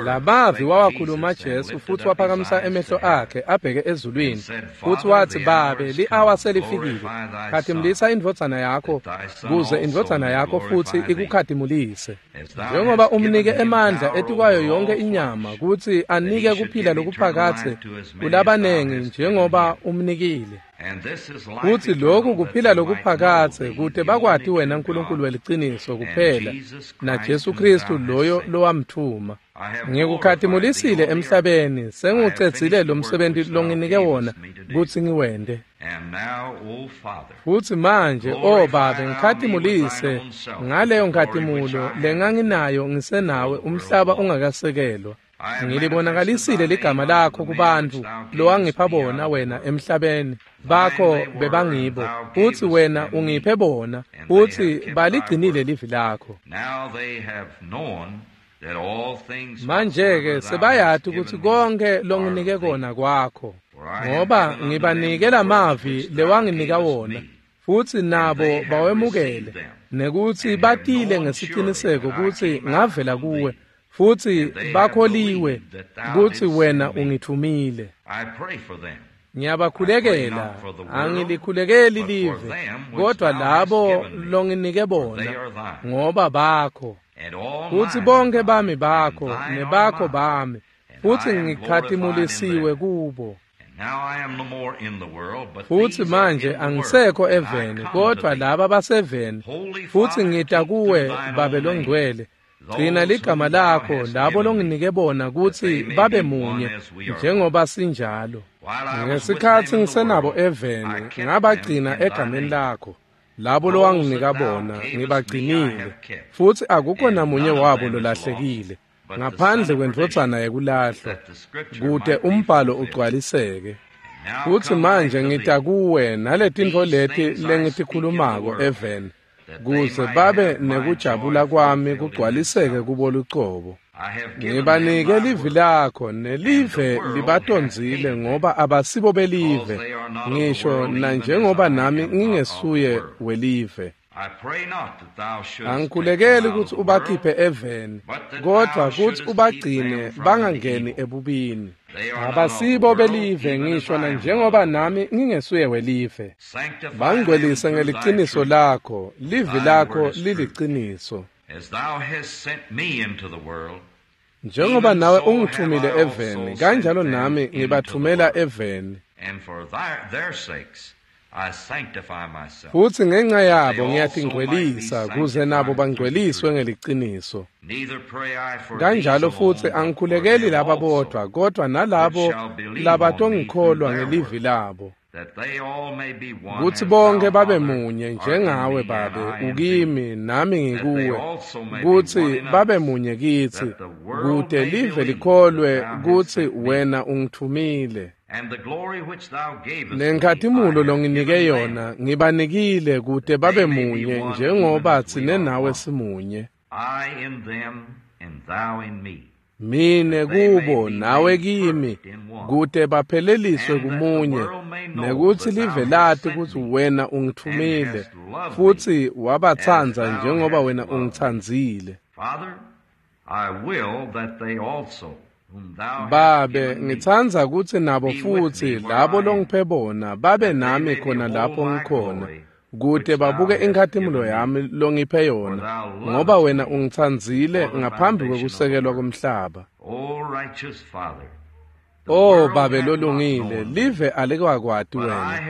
Lamavi wawakhuluma Jesu futhi waphakamisa emehlo akhe abheke ezulwini futhi wathi, Babe, li-awa selifikile, khatimulisa indvodzana yakho kuze indvodzana yakho futhi ikukhatimulise, njengoba umnike emandla etikwayo yonke inyama kutsi anike kuphila lokuphakadze kulabanengi njengoba umnikile. Futsi lokhu kuphila lokuphakadze kute bakwati wena Nkulunkulu weliciniso kuphela naJesu Kristu loyo lowamtfuma. Ngikukhatimulisile emhlabeni, sengiwucedzile lo msebenti longinike wona kutsi ngiwente. Futsi manje, o Babe, ngikhatimulise ngaleyo nkhatimulo lenganginayo ngisenawe umhlaba ungakasekelwa. Ngilibonakalisile ligama lakho kubantfu lowangipha bona wena emhlabeni, bakho bebangibo, futsi wena ungiphe bona, futsi baligcinile livi lakho. Manje-ke sebayati kutsi konkhe longinike kona kwakho, ngoba ngibanike lamavi lewanginika wona, futsi nabo bawemukele, nekutsi batile ngesiciniseko kutsi ngavela kuwe, futsi bakholiwe kutsi wena ungithumile. Ngiyabakhulekela, angilikhulekeli live, kodwa labo longinike bona, ngoba bakho. Futsi bonke bami bakho, nebakho bami, futsi ngikhatimulisiwe kubo. Futsi manje angisekho eveni, kodwa laba baseveni, futsi ngita kuwe, Babe longcwele. Gcina ligama lakho labo longinike bona kutsi babe munye njengoba sinjalo. Ngesikhatsi ngisenabo eveni, ngabagcina egameni lakho. Labo lowanginika bona ngibagcinile, futsi akukho namunye wabo lolahlekile ngaphandle kwendvodzana yekulahlwa, kute umbhalo ugcwaliseke. Futsi manje ngita kuwe naletintfo leti lengitikhulumako eveni, kuze babe nekujabula kwami kugcwaliseke kubo lucobo. Ngibanike livi lakho, nelive libatondzile ngoba abasibo belive, ngisho nanjengoba nami ngingesuye welive. Angikhulekeli kutsi ubakhiphe eveni, kodvwa kutsi ubagcine bangangeni ebubini. Abasibo belive ngisho nanjengoba nami ngingesuye welive. Bangcwelise ngeliciniso lakho, livi lakho liliciniso. Njengoba nawe ungithumile eveni, kanjalo nami ngibathumela eveni. Futsi ngenxa yabo ngiyatingcwelisa kuze nabo bangcweliswe ngeliciniso. Kanjalo futsi angikhulekeli laba bodvwa, kodvwa nalabo labatongikholwa ngelivi labo, kutsi bonke babe munye njengawe Babe ukimi nami ngikuwe, kutsi babe munye kitsi, kute live likholwe kutsi wena ungithumile. Nenkhatimulo longinike yona ngibanikile kute babe munye njengoba tsine nawe simunye. Mine kubo nawe kimi, kute bapheleliswe kumunye, nekutsi live lati kutsi wena ungithumile, futsi wabatsandza njengoba wena ungitsandzile. Babe, ngitsandza kutsi nabo futsi labo longiphe bona babe nami khona lapho ngikhona, kute babuke inkhatimulo yami longiphe yona, ngoba wena ungitsandzile ngaphambi kwekusekelwa komhlaba. O Babe lolungile, live alikakwati wena,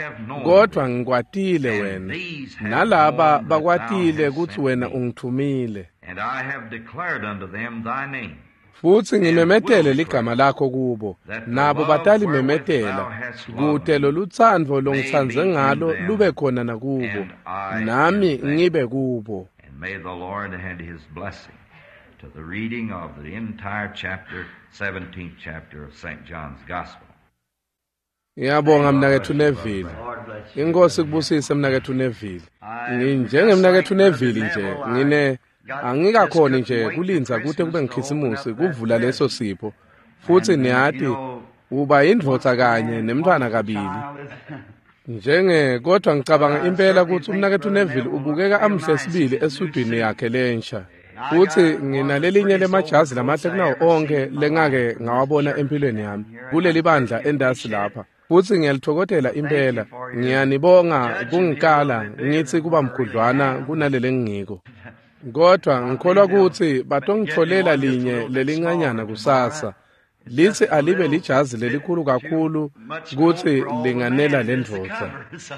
kodvwa ngikwatile wena, nalaba bakwatile kutsi wena ungithumile. Futsi ngimemetele ligama lakho kubo, nabo batalimemetela, kute lolutsandvo longitsandze ngalo lube khona nakubo, nami ngibe kubo. To the reading of the entire chapter, 17th chapter of St. John's Gospel. Ngiyabonga mnaketfu Neville. Inkosi kubusise mnaketfu Neville. Nginjengemnaketfu Neville nje, ngine angikakhoni nje kulindza kute kube ngikhisimusi kuvula leso sipho. Futsi niyati uba indvodza kanye nemntfwana kabili. Njenge kodwa ngicabanga impela kutsi umnaketfu Neville ubukeka amhle sibili esudwini yakhe lensha. Futsi nginalelinye lemajazi lamahle kunawo onkhe lengake ngawabona empilweni yami kuleli bandla endasi lapha. Futsi ngiyalitfokotela impela. Ngiyanibonga kungikala ngitsi kuba mkhudlwana kunalele ngiko. Kodwa ngikholwa kutsi batongitfolela linye lelincanyana kusasa. Litsi alibe lijazi lelikhulu kakhulu kutsi linganela lendvodza.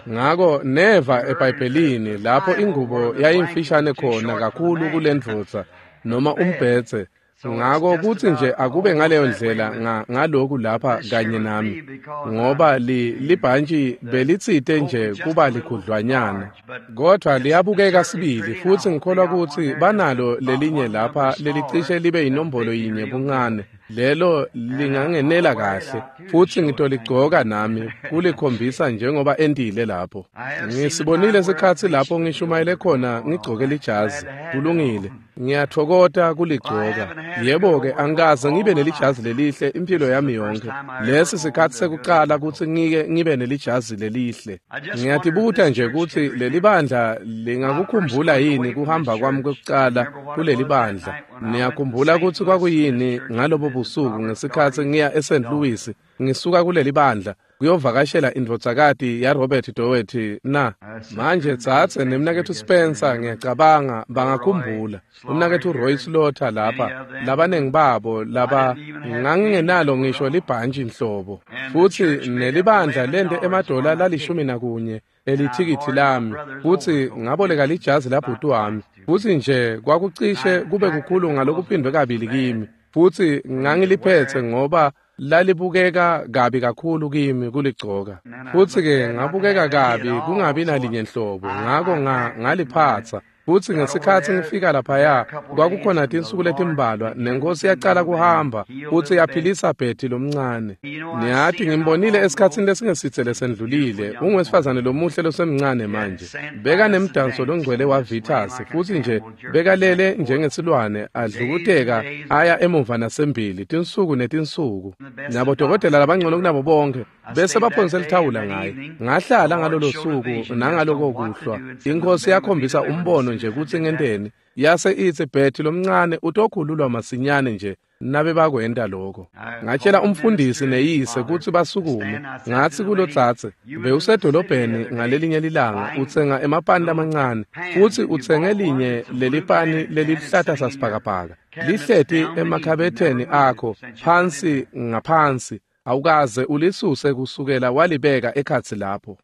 Ngako neva eBhayibhelini lapho ingubo yayimfishane khona kakhulu kulendvodza noma umbhedze. Ngako kutsi nje akube ngaleyo ndlela ngaloku lapha kanye nami, ngoba libhantshi belitsite nje kuba likhudlwanyana, kodvwa liyabukeka sibili. Futsi ngikholwa kutsi banalo lelinye lapha lelicishe libe inombolo yinye buncane, lelo lingangenela kahle, futsi ngitoligcoka nami kulikhombisa njengoba entile lapho. Ngisibonile sikhatsi lapho ngishumayele khona ngigcoke lijazi. Kulungile, ngiyatfokota kuligcoka. Yebo-ke, angikaze ngibe nelijazi lelihle impilo yami yonke. Lesi sikhatsi sekucala kutsi ngike ngibe nelijazi lelihle. Ngiyatibuta nje kutsi leli bandla lingakukhumbula yini kuhamba kwami kwekucala kuleli bandla. Niyakhumbula kutsi kwakuyini ngalobo busuku ngesikhatsi ngiya eSt. Louis ngisuka kuleli bandla kuyovakashela indvodzakati yaRobert Doherty na? Manje tsatse nemnaketfu Spencer, ngiyacabanga bangakhumbula. Umnaketfu Roy Slaughter lapha, labanengi babo laba ngangingenalo ngisho libhantshi nhlobo. Futsi nelibandla lente emadola la11 elithikithi lami, futsi ngaboleka lijazi labhuti wami. Futsi nje kwakucishe kube kukhulu ngalokuphindwe kabili kimi. Futsi ngangiliphetse ngoba lalibukeka kabi kakhulu kimi kuligcoka. Futsi-ke ngabukeka kabi kungabi nalinye nhlobo, ngako ngaliphatsa. Futsi ngesikhatsi ngifika laphaya kwakukhona tinsuku letimbalwa nenkosi yacala kuhamba futsi yaphilisa Betty lomncane. Niyati ngimbonile esikhatsini lesingesitse lesendlulile, ungwesifazane lomuhle losemncane manje. Beka nemdanso longcwele waVitas, futsi nje bekalele njengesilwane adlukuteka aya emuva nasembili tinsuku netinsuku. Nabodokotela labangcono kunabo bonke bese baphonse lithawula ngaye. Ngahlala ngalolo suku nangaloko kuhlwa. Inkosi yakhombisa umbono nje kutsi ngenteni, yase itsi Betty lomncane utokhululwa masinyane nje nabe bakwenta lokho. Ngatshela umfundisi neyise kutsi basukume. Ngatsi kulotsatse, bewusedolobheni ngalelinye lilanga utsenga emapani lamancane, futsi utsenge linye lelipani leliluhlata sasibhakabhaka lihleti emakhabetheni akho phansi ngaphansi, awukaze ulisuse kusukela walibeka ekhatsi lapho.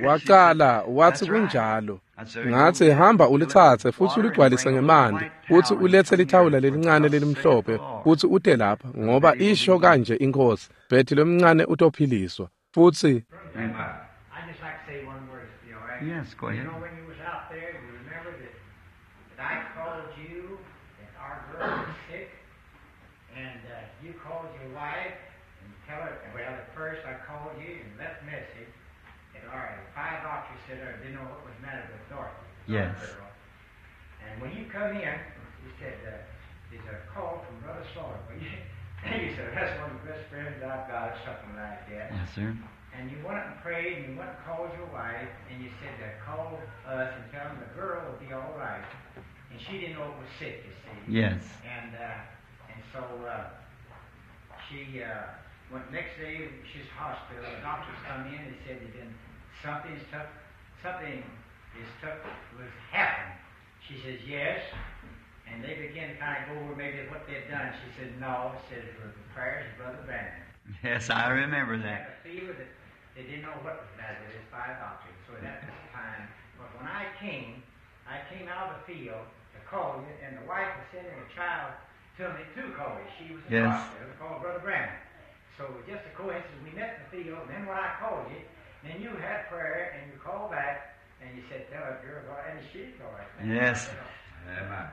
Wacala watsi kunjalo. Ngatsi hamba ulitsatse futsi uligcwalise ngemanti, futsi uletse lithawula lelincane lelimhlophe futsi ute lapha, ngoba isho kanje inkosi, Betty lomncane utophiliswa. Futsi I just like to say one word, if you all right. Yes, go ahead. You know, when you was out there, you remember that I called you that our girl was sick, and you called your wife and tell her, well, at first I called you and left message that our 5 doctors said I didn't know what was the matter with Dorothy. Yes. Girl. And when you come in, you said, there's a call from Brother Slaughter. Well, you said, that's one of the best friends I've got, or something like that. Yes, sir. And you went and prayed, and you went and called your wife, and you said to call us and tell them the girl will be all right. And she didn't know it was sick, you see. Yes. And so she went next day, she's hospital. The doctors come in and said that something was happened. She says, yes. And they began to kind of go over maybe what they'd done. She said, no. She said, it was the prayers of Brother Branham. Yes, I remember that. She had a fever that they didn't know what was the matter with his 5 doctors. So at that time, but when I came out of the field to call you, and the wife was sending a child to me to call you. She was in the hospital to call Brother Branham. So it was just a coincidence. We met in the field, and then when I called you, then you had prayer, and you called back, and you said, tell her girl, and she's all right. Yes. Amen.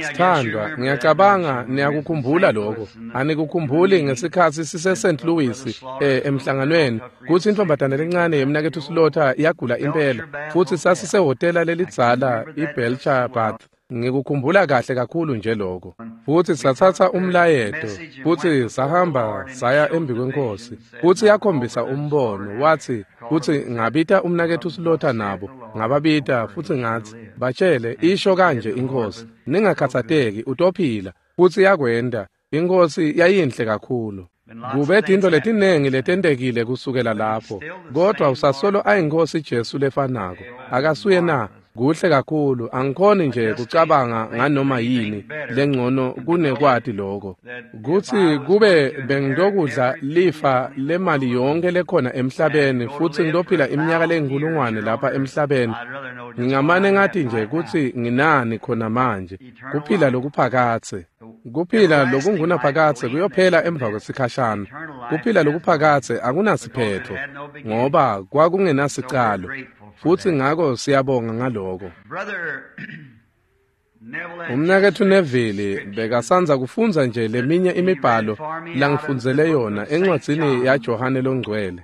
Sithandwa, ngiyacabanga niyakukhumbula lokho. Anikukhumbuli ngesikhatsi sise St. Louis emhlanganweni kutsi intombazane lencane yemnaketfu Slaughter yagula impela, futsi sasisehhotela lelidzala iBelcher Bath. Ngikukhumbula kahle kakhulu nje lokho. Futsi satsatsa umlayeto, futsi sahamba saya embi kwenkosi. Futsi yakhombisa umbono, watsi kutsi ngabita umnaketfu Slaughter nabo, ngababita futsi ngatsi, batshele isho kanje inkosi, Ningakhatsateki, utophila. Futsi yakwenta. Inkosi yayinhle kakhulu. Kube tintfo letinengi letentekile kusukela lapho, kodwa usasolo ayinkosi Jesu lefanako. Akasuye na? Kuhle kakhulu, angikhoni nje kucabanga nganoma yini lengcono kunekwati lokho. Kutsi kube bengitokudla lifa lemali yonke lekhona emhlabeni futsi ngitophila iminyaka leyinkulungwane lapha emhlabeni, ngingamane ngathi nje kutsi nginani khona manje, kuphila lokuphakadze. Kuphila lokungunaphakadze kuyophela emva kwesikhashana. Kuphila lokuphakadze akunasiphetho ngoba kwakungenasicalo. Futsi ngako siyabonga ngaloko. Umnaketfu Neville bekasandza kufundza nje leminye imibhalo langifundzele yona encwadzini yaJohane Longcwele.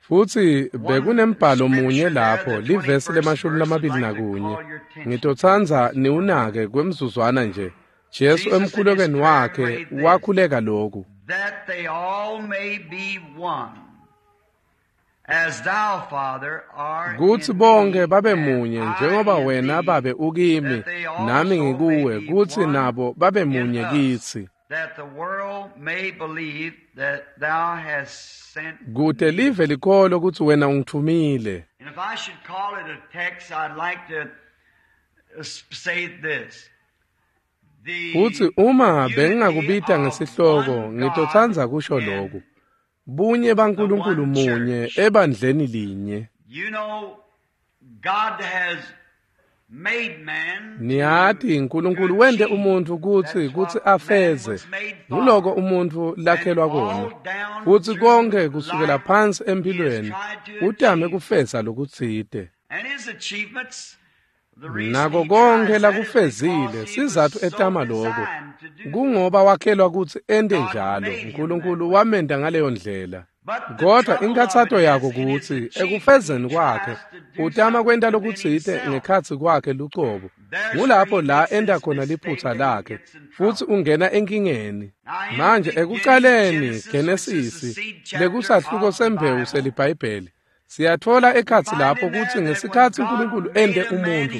Futsi bekunembhalo munye lapho, livesi le-21. Ngitotsandza niwunake kwemzuzwana nje. Jesu emkhulekweni wakhe wakhuleka lokhu. Kutsi bonke babe munye njengoba wena Babe ukimi nami ngikuwe, kutsi nabo babe munye kitsi. Kute live likholwe kutsi wena ungithumile. Futsi uma bengingakubita ngesihloko, ngitotsandza kusho lokhu. Bunye baNkulunkulu munye ebandleni linye. Niyati uNkulunkulu wente umuntfu kutsi afeze. Nguloko umuntfu lakhelwa kona. Futsi konke kusukela phansi empilweni utame kufeza lokutsite. Nako konke lakufezile, sizatfu etama lokho kungoba wakhelwa kutsi ente njalo. uNkulunkulu wamenta ngaleyo ndlela. Kodwa inkathato yako kutsi ekufezeni kwakhe utama kwenta lokutsite ngekhatsi kwakhe lucobo. Ngulapho la enta khona liphutsa lakhe futsi ungena enkingeni. Manje ekucaleni Genesisi lekusahluko sembewu seliBhayibheli, siyatfola ekhatsi lapho kutsi ngesikhatsi uNkulunkulu ente umuntfu,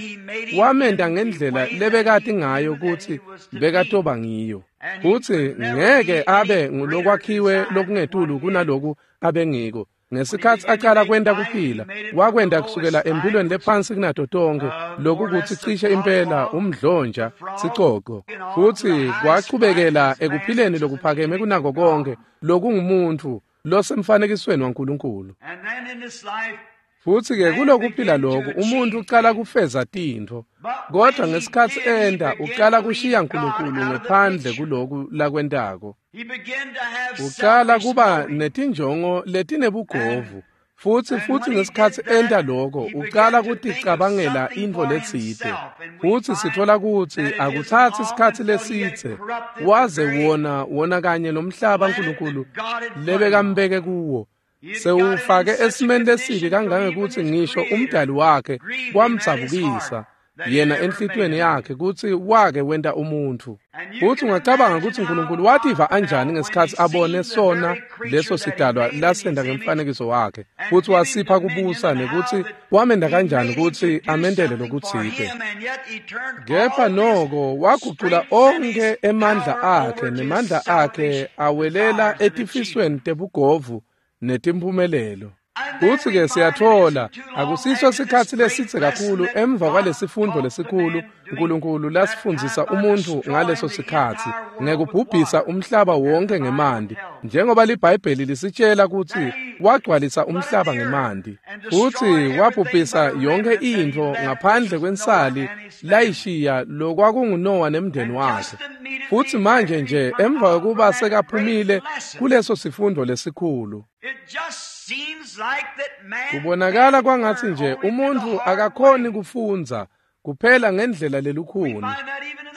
wamenta ngendlela lebekati ngayo kutsi bekatoba ngiyo. Futsi ngeke abe ngulokwakhiwe lokungetulu kunaloku abengiko. Ngesikhatsi acala kwenta kuphila, wakwenta kusukela empilweni lephansi kunato tonkhe, lokukutsi cishe impela umdlonja sicoco. Futsi kwachubekela ekuphileni lokuphakeme kunako konke, lokungumuntfu losemfanekisweni waNkulunkulu. Futsi-ke kulokuphila loku umuntfu ucala kufeza tintfo, kodwa ngesikhatsi enta ucala kushiya uNkulunkulu ngephandle kuloku lakwentako. Ucala kuba netinjongo letinebugovu, futsi ngesikhatsi enta loko ucala kuticabangela intfo letsite. Futsi sitfola kutsi akutsatsi sikhatsi lesidze waze wona kanye nomhlaba uNkulunkulu lebekambeke kuwo sewufake esimeni lesibi kangangekutsi ngisho umdali wakhe kwamdzabukisa yena enhlitiyweni yakhe kutsi wake wenta umuntfu. Futsi ungacabanga kutsi uNkulunkulu wativa anjani ngesikhatsi abone sona leso sidalwa lasenda ngemfanekiso wakhe, futsi wasipha kubusa nekutsi wamenta kanjani kutsi amentele lokutsite. Kepha noko wagucula onkhe emandla akhe nemandla akhe awelela etifisweni tebugovu netimphumelelo. Futsi-ke siyatfola akusiso sikhatsi lesidze kakhulu emva kwalesifundvo lesikhulu uNkulunkulu lasifundzisa umuntfu ngaleso sikhatsi ngekubhubhisa umhlaba wonke ngemanti, njengoba liBhayibheli lisitshela kutsi wagcwalisa umhlaba ngemanti. Futsi wabhubhisa yonke intfo ngaphandle kwensali layishiya lokwakunguNowa nemndeni wakhe. Futsi manje nje emva kwekuba sekaphumile kuleso sifundo lesikhulu, kubonakala kwangatsi nje umuntfu akakhoni kufundza kuphela ngendlela lelukhuni.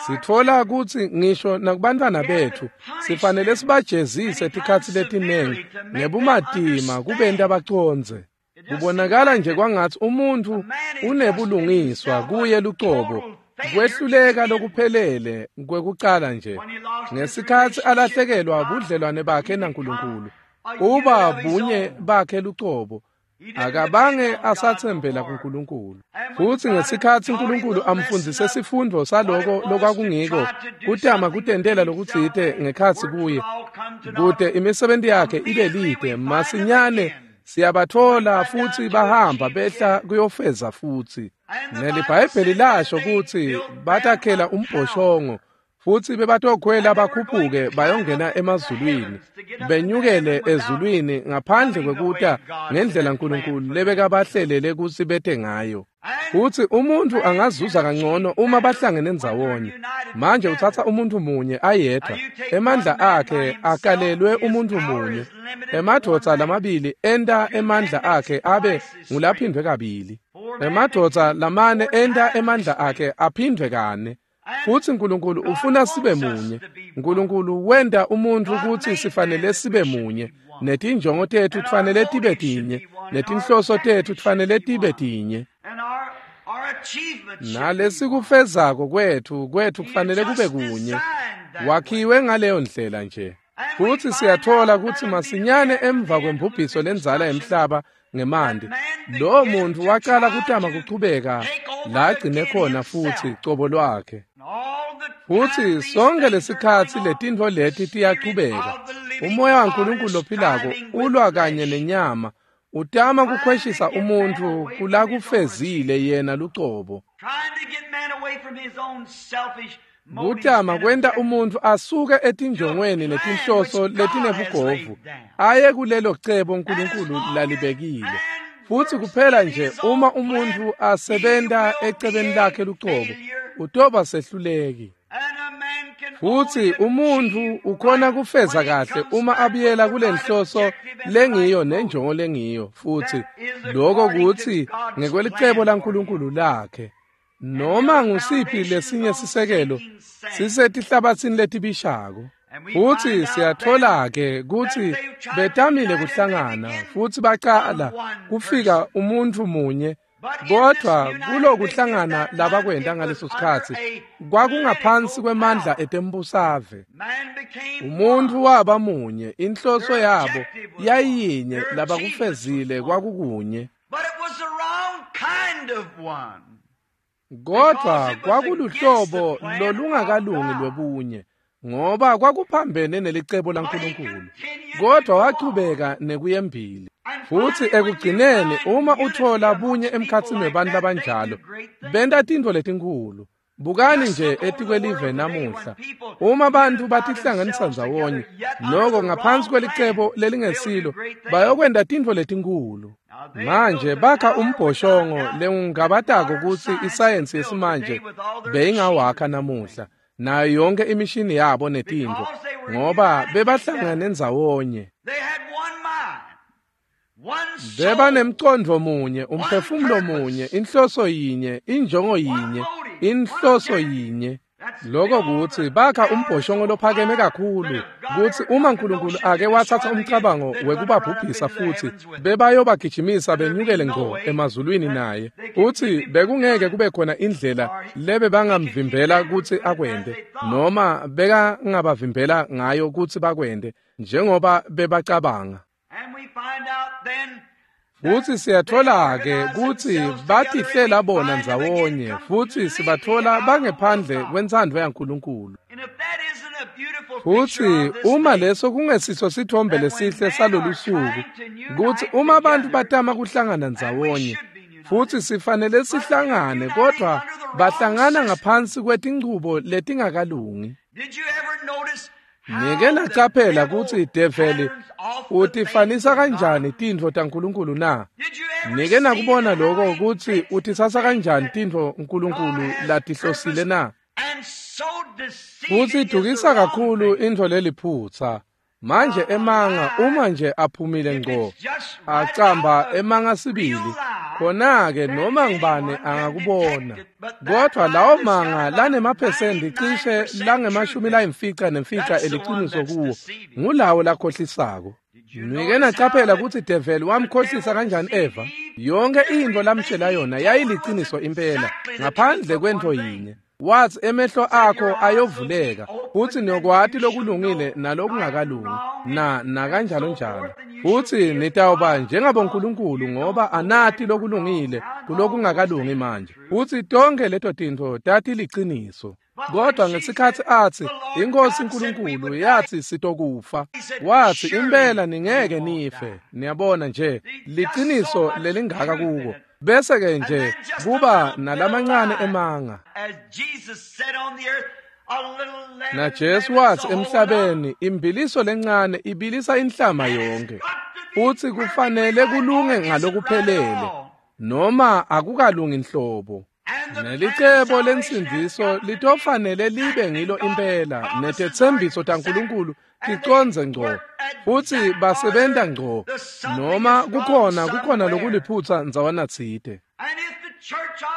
Sitfola kutsi ngisho nakubantfwana betfu sifanele sibajezise tikhatsi letinengi ngebumatima kubenta bacondze. Kubonakala nje kwangatsi umuntfu unebulungiswa kuye lucobo, kwehluleka lokuphelele kwekucala nje ngesikhatsi alahlekelwa budlelwane bakhe naNkulunkulu. Uba bunye bakhe lucobo, Akabange asathembela kuNkulunkulu. Futsi ngesikhatsi uNkulunkulu amfundzise sifundvo saloko lokwakungiko, kutama kutentela lokutsite ngekhatsi kuye, kute imisebenti yakhe ibe lide, masinyane siyabatfola futsi bahamba behla kuyofeza futsi. NeliBhayibheli lasho kutsi batakhela umbhoshongo, futsi bebatokhwela bakhuphuke bayongena emazulwini, benyukele ezulwini ngaphandle kwekuta ngendlela uNkulunkulu lebekabahlelele kutsi bete ngayo. Futsi umuntfu angazuza kangcono uma bahlangene ndzawonye. Manje utsatsa umuntfu munye ayedvwa, emandla akhe akalelwe umuntfu munye. Emadvodza lamabili enta emandla akhe abe ngulaphindvwe kabili. Emadvodza lamane enta emandla akhe aphindvwe kane. Futsi uNkulunkulu ufuna sibe munye. uNkulunkulu wenta umuntfu kutsi sifanele sibe munye. Netinjongo tetfu kufanele tibe tinye, netinhloso tetfu kufanele tibe tinye. Nalesikufezako kwetfu kufanele kube kunye. Wakhiwe ngaleyo ndlela nje. Futsi siyatfola kutsi masinyane emva kwembubhiso lendzala yemhlaba ngemanti, lowo muntfu wacala kutama kuchubeka la agcine khona futsi cobo lwakhe. Futsi sonke lesikhatsi letintfo leti tiyachubeka. Umoya waNkulunkulu lophilako ulwa kanye nenyama, utama kukhweshisa umuntfu kulakufezile yena lucobo. Kutama kwenta umuntfu asuke etinjongweni netinhloso letinebugovu aye kulelo cebo uNkulunkulu lalibekile. Futsi kuphela nje uma umuntfu asebenta ecebeni lakhe lucobo, utoba sehluleki. Futsi umuntfu ukhona kufeza kahle uma abuyela kulenhloso lengiyo nenjongo lengiyo, futsi lokho kutsi ngekwelicebo laNkulunkulu lakhe. Noma ngusiphi lesinye sisekelo sisetihlabatsini letibishako. Futsi siyatfola-ke kutsi betamile kuhlangana futsi bacala kufika umuntfu munye, kodvwa kulokuhlangana labakwenta ngaleso sikhatsi kwakungaphansi kwemandla etembusave. Umuntfu waba munye, inhloso yabo yayiyinye, labakufezile kwakukunye. Kodvwa kwakuluhlobo lolungakalungi lwebunye, ngoba kwakuphambene nelicebo laNkulunkulu. Kodvwa wachubeka nekuyembili. Futsi ekugcineni uma utfola bunye emkhatsini webantfu labanjalo, benta tintfo letinkhulu. Bukani nje etikwelive namuhla, uma bantfu batihlanganisa ndzawonye, noko ngaphansi kwelicebo lelingesilo, bayokwenta tintfo letinkhulu. Manje bakha umbhoshongo lengingabatako kutsi isayensi yesimanje beyingawakha namuhla, nayo yonke imishini yabo netintfo, ngoba bebahlangane ndzawonye. Bebanemcondvo munye, umphefumulo munye, inhloso yinye, injongo yinye, inhloso yinye. Lokho kutsi bakha umbhoshongo lophakeme kakhulu kutsi uma uNkulunkulu ake watsatsa umcabango wekubabhubhisa futsi bebayobagijimisa benyukele ngco emazulwini naye, futsi bekungeke kube khona indlela lebebangamvimbela kutsi akwente, noma bekangabavimbela ngayo kutsi bakwente njengoba bebacabanga. Futsi siyatfola-ke kutsi batihlela bona ndzawonye, futsi sibatfola bangephandle kwentsandvo yaNkulunkulu. Futsi uma leso kungesiso sithombe lesihle salolu suku, kutsi uma abantu batama kuhlangana ndzawonye, futsi sifanele sihlangane, kodvwa bahlangana ngaphansi kwetinchubo letingakalungi. Nike nacaphela kutsi develi utifanisa kanjani tintfo taNkulunkulu na? Nike nakubona lokho kutsi utitsatsa kanjani tintfo uNkulunkulu latihlosile na? Futsi idukisa kakhulu intfo leliphutsa. Manje emanga uma nje aphumile ngco, acamba emanga sibili, khona-ke noma ngibani angakubona. Kodvwa lawo manga lanemaphesenti cishe langama-95 eliciniso kuwo, ngulawo lakhohlisako. Nike nacaphela kutsi develi wamkhohlisa kanjani Eva? Yonke intfo lamtjela yona yayiliciniso impela, ngaphandle kwentfo yinye. Wathi emehlo akho ayovuleka futsi niyokwati lokulungile nalokungakalungi na kanjalo njalo, futsi nitawuba njengabonkulunkulu ngoba anati lokulungile kulokungakalungi manje. Futsi tonke leto tintfo tatiliciniso. Kodwa ngesikhatsi atsi iNkosi uNkulunkulu yathi sitokufa, wathi impela ningeke nife. Niyabona nje liciniso lelingaka kuko, bese ke nje kuba nalamancane emanga. Na Jesu wathi emhlabeni imbiliso lencane ibilisa inhlama yonke, futsi kufanele kulunge ngalokuphelele noma akukalungi nhlobo. Nelicebo lensindziso litofanele libe ngilo impela, netetsembiso taNkulunkulu ticondze ngco, futsi basebenta ngco, noma kukhona lokuliphutsa ndzawana tsite.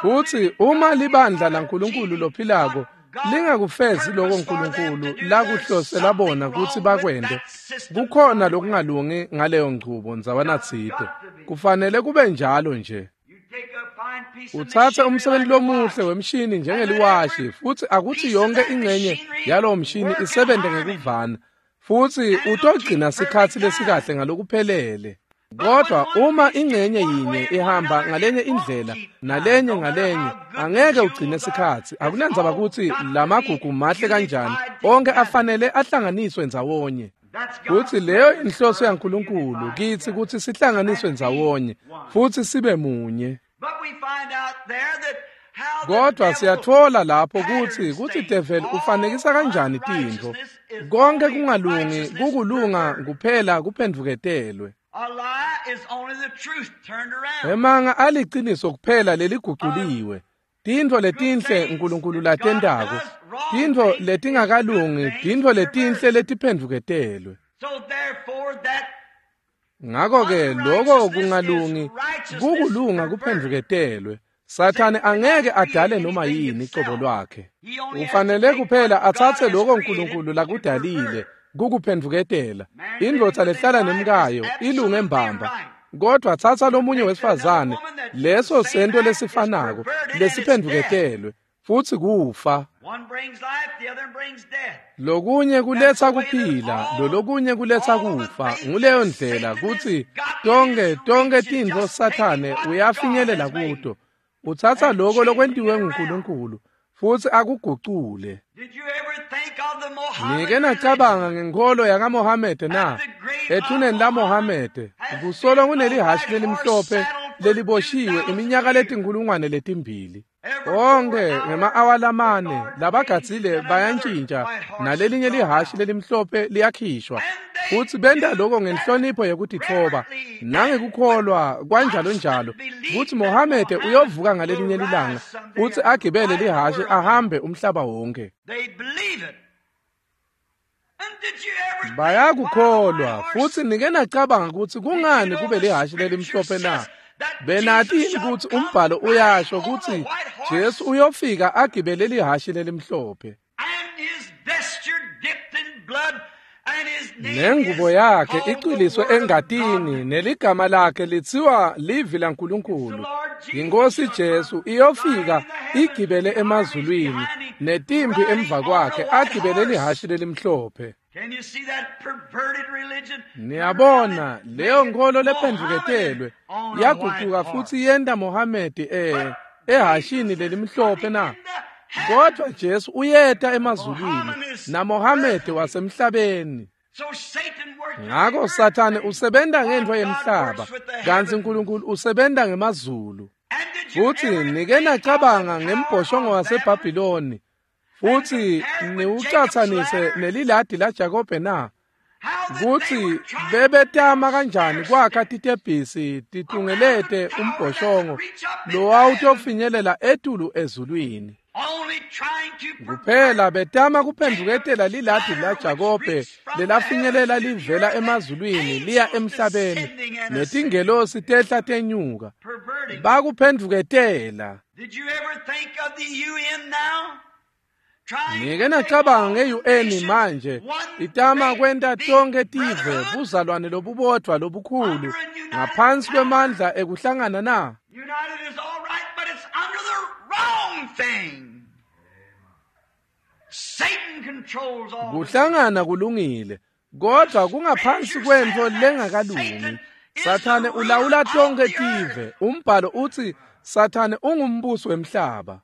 Futsi uma libandla laNkulunkulu lophilako lingakufezi lokho uNkulunkulu lakuhlosela bona kutsi bakwente, kukhona lokungalungi ngaleyo nchubo ndzawana tsite. Kufanele kube njalo nje. Utsatse umsebenzi lomuhle wemshini njengeliwashi, futsi akuthi yonke ingxenye yalowo mshini isebente ngekuvana, futsi utogcina sikhatsi lesikahle ngalokuphelele. Kodwa uma ingxenye yinye ihamba ngalenye indlela nalenye ngalenye, angeke ugcine sikhatsi. Akunandzaba kutsi lamagugu mahle kanjani, onke afanele ahlanganiswe ndzawonye. Futsi leyo inhloso yaNkulunkulu kitsi kutsi sihlanganiswe ndzawonye futsi sibe munye. Kodwa siyatfola lapho kutsi devil ufanekisa kanjani tintfo. Konke kungalungi kukulunga kuphela kuphendvuketelwe. Emanga aliciniso kuphela leliguculiwe. Tintfo letinhle uNkulunkulu latentako, tintfo letingakalungi, tintfo letinhle letiphendvuketelwe. Ngakho-ke lokho kungalungi kukulunga kuphendvuketelwe. Sathane angeke adale noma yini cobo lwakhe. Ufanele kuphela atsatse lokho uNkulunkulu lakudalile kukuphendvuketela. Indvodza lehlala nemkayo ilunge mbamba, kodwa tsatsa lomunye wesifazane, leso sento lesifanako lesiphendvuketelwe, futsi kufa. Lokunye kuletsa kuphila, lolokunye kuletsa kufa. Nguleyo ndlela kutsi tonke tintfo Sathane uyafinyelela kuto. Utsatsa lokho lokwentiwe nguNkulunkulu futsi akugucule. Nike nacabanga ngenkholo yakaMohamede na? Ethuneni laMohamede kusolo kunelihhashi lelimhlophe leliboshiwe iminyaka letinkulungwane letimbili. Onke ngema-awa lamane labagadzile bayantshintsha, nalelinye lihhashi lelimhlophe liyakhishwa, futsi benta lokho ngenhlonipho yekutitfoba nangekukholwa kwanjalo njalo kutsi Mohamede uyovuka ngalelinye lilanga futsi agibele lihhashi ahambe umhlaba wonke. Bayakukholwa. Futsi nike nacabanga kutsi kungani kube lihhashi lelimhlophe na? Benati yini kutsi umbhalo uyasho kutsi Jesu uyofika agibele lihhashi lelimhlophe, nengubo yakhe icwiliswe engatini, neligama lakhe litsiwa livi laNkulunkulu. Inkosi Jesu iyofika igibele emazulwini netimpi emva kwakhe agibele lihhashi lelimhlophe. Niyabona leyo nkholo lephendvuketelwe yagucuka futsi yenta Mohamedi ehhashini lelimhlophe na? Kodwa Jesu uyeta emazulwini naMohamedi wasemhlabeni. Ngakho Sathane usebenta ngentfo yemhlaba, kantsi uNkulunkulu usebenta ngemazulu. Futsi nike nacabanga ngembhoshongo waseBhabhiloni, futsi niwucatsanise neliladi laJakobe na? Kutsi bebetama kanjani kwakha titebhisi titungelete umbhoshongo lowawutofinyelela etulu ezulwini. Kuphela betama kuphendvuketela liladi laJakobe lelafinyelela livela emazulwini liya emhlabeni, netingelosi tehla tenyuka. Bakuphendvuketela. Ngike nacabanga nge-UN manje itama kwenta tonke tive buzalwane lobubodvwa lobukhulu ngaphansi kwemandla ekuhlangana na? Kuhlangana kulungile, kodwa kungaphansi kwentfo lengakalungi. Sathane ulawula tonke tive. Umbhalo uthi Sathane ungumbusi wemhlaba.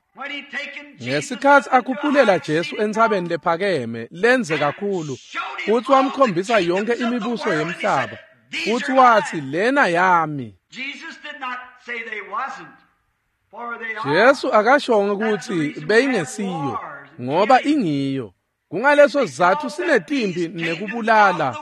Ngesikhatsi akhuphulela Jesu entsabeni lephakeme lenze kakhulu, futsi wamkhombisa yonke imibuso yemhlaba, futsi watsi lena yami. Jesu akashongo kutsi beyingesiyo, ngoba ingiyo. Kungaleso sizatfu sinetimpi nekubulala,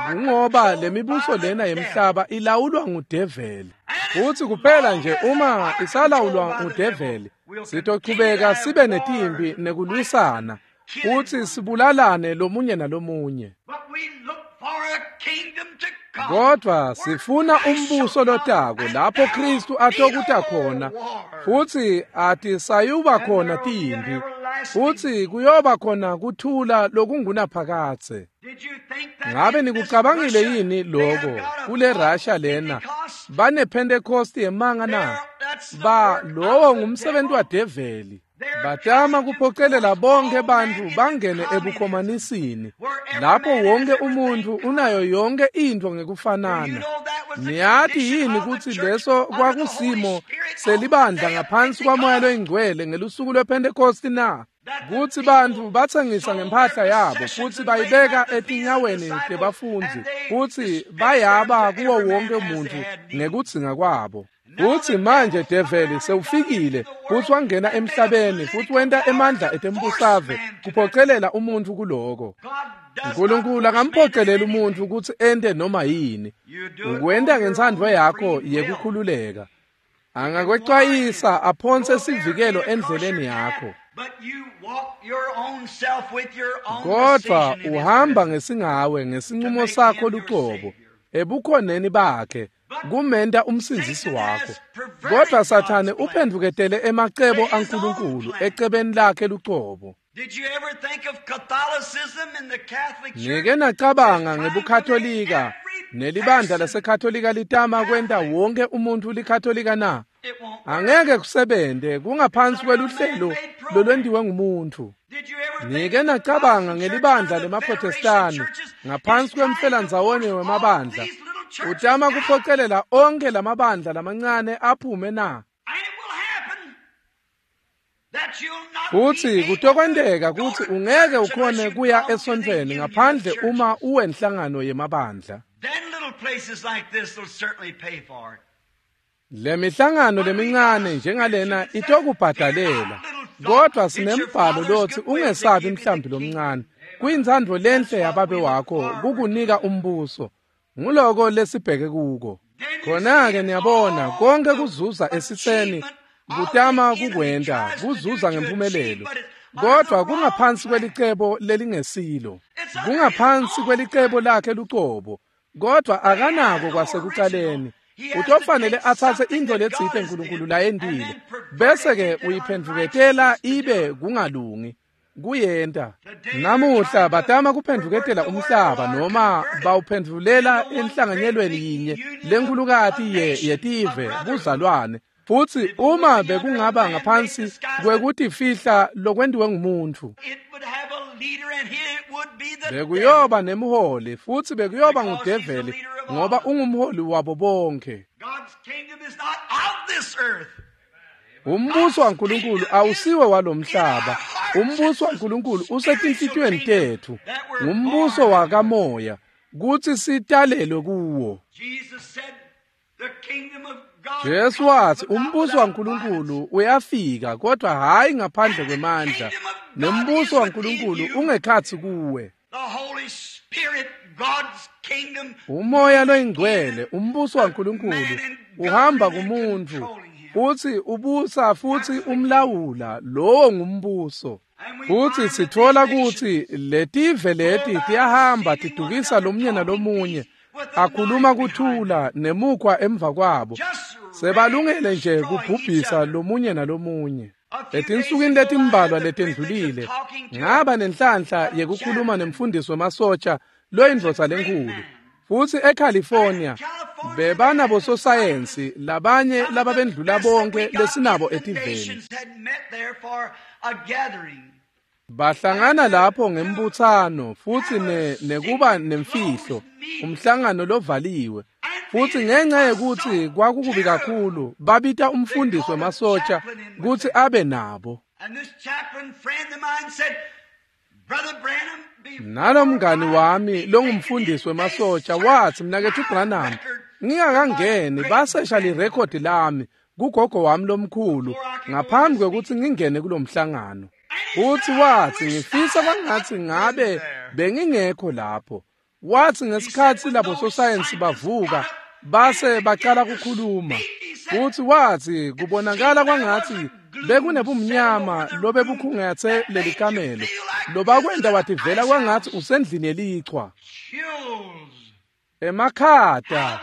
kungoba lemibuso lena yemhlaba ilawulwa ngudeveli. Futsi kuphela nje uma isalawulwa ngudeveli, sitochubeka sibe netimpi nekulwisana, futsi sibulalane lomunye nalomunye. Kodwa sifuna umbuso lotako lapho Kristu atokuta khona, futsi atisayuba khona timpi, futsi kuyoba khona kuthula lokungunaphakadze. Ngabe nikucabangile yini loko kule Russia lena bane Pentecost yemanga na? Ba lowo ngumsebenzi wadeveli. Batama kuphocelela bonke bantfu bangene ebukhomanisini, lapho wonke umuntfu unayo yonke intfo ngekufanana. Niyati yini kutsi leso kwakusimo selibandla ngaphansi kwaMoya loyiNgcwele ngelusuku lwePhentekosti na? Kutsi bantfu batsengisa ngemphahla yabo futsi bayibeka etinyaweni tebafundzi, futsi bayaba kuwo wonke umuntfu ngekudzinga kwabo. Futsi manje develi sewufikile futsi wangena emhlabeni futsi wenta emandla etembusave kuphocelela umuntfu kuloko. Nkulunkulu akamphoceleli umuntfu kutsi ente noma yini. Ukwenta ngentsandvo yakho yekukhululeka. Angakwecwayisa aphonse sivikelo endleleni yakho. Kodwa uhamba ngesingawe ngesinqumo sakho lucobo ebukhoneni bakhe kumenta umsindzisi wakho. Kodwa Sathane uphendvuketele emacebo aNkulunkulu ecebeni lakhe lucobo. Nike nacabanga ngebuKatolika nelibandla laseKatolika litama kwenta wonke umuntfu liKatolika na? Angeke kusebente, kungaphansi kweluhlelo lolwentiwe ngumuntfu. Nike nacabanga ngelibandla lemaProtestani ngaphansi kwemfelandzawonye wemabandla utama kuphocelela onke lamabandla lamancane aphume na? Futsi kutokwenteka kutsi ungeke ukhone kuya esontfweni ngaphandle uma uwenhlangano yemabandla. Le mihlangano lemincane njengalena itokubhadalela, kodwa sinembhalo lotsi ungesabi mhlambi lomncane. Kuyintsandvo lenhle yababe wakho kukunika umbuso. Nguloko lesibheke kuko. Khona-ke niyabona konke kuzuza esitseni kutama kukwenta kuzuza ngemphumelelo, kodwa kungaphansi kwelicebo lelingesilo, kungaphansi kwelicebo lakhe lucobo, kodwa akanako kwasekucaleni. Utofanele atsatse intfo letsite Nkulunkulu layentile, bese-ke uyiphendvuketela ibe kungalungi. Kuyenta. Namuhla batama kuphendvuketela umhlaba noma bawuphendvulela enhlanganyelweni yinye lenkhulukati yetive buzalwane. Futsi uma bekungaba ngaphansi kwekutifihla lokwentiwe ngumuntfu, bekuyoba nemholi futsi bekuyoba ngudeveli, ngoba ungumholi wabo bonke. Umbuso waNkulunkulu awusiwe walomhlaba. Umbuso waNkulunkulu usetinhlitiyweni tetfu. Ngumbuso wakamoya kutsi sitalelwe kuwo. Jesu watsi umbuso waNkulunkulu uyafika, kodwa hhayi ngaphandle kwemandla. Nembuso waNkulunkulu ungekhatsi kuwe. Umoya loyingcwele, umbuso waNkulunkulu uhamba kumuntfu futsi ubusa futsi umlawula. Lowo ngumbuso. Futsi sitfola kutsi letive leti tiyahamba tidukisa lomunye nalomunye, akhuluma kuthula nemukhwa emva kwabo, sebalungele nje kubhubhisa lomunye nalomunye. Etinsukwini letimbalwa letendlulile ngaba nenhlanhla yekukhuluma nemfundisi wemasotsha loyindvodza lenkhulu. Futsi eCalifornia bebanabososayensi labanye lababendlula bonke lesinabo etiveni. Bahlangana lapho ngembuthano futhi nekuba nemfihlo, umhlangano lovaliwe. Futhi ngenxa yekuthi kwakukubi kakhulu, babita umfundisi wemasotsha kutsi abe nabo. Nalomngani wami longumfundisi wemasotsha wathi, "Mnaketfu Branham, ngingakangeni basesha lirekhodi lami kugogo wami lomkhulu ngaphambi kwekutsi ngingene kulomhlangano." Futhi wathi, "Ngifisa kwangatsi ngabe bengingekho lapho." Wathi ngesikhatsi labo sosayensi bavuka base bacala kukhuluma, futhi wathi kubonakala kwangatsi bekunebumnyama lobebukhungethe leli kamelo lobakwenta wativela kwangatsi usendlini yelichwa. Emakhata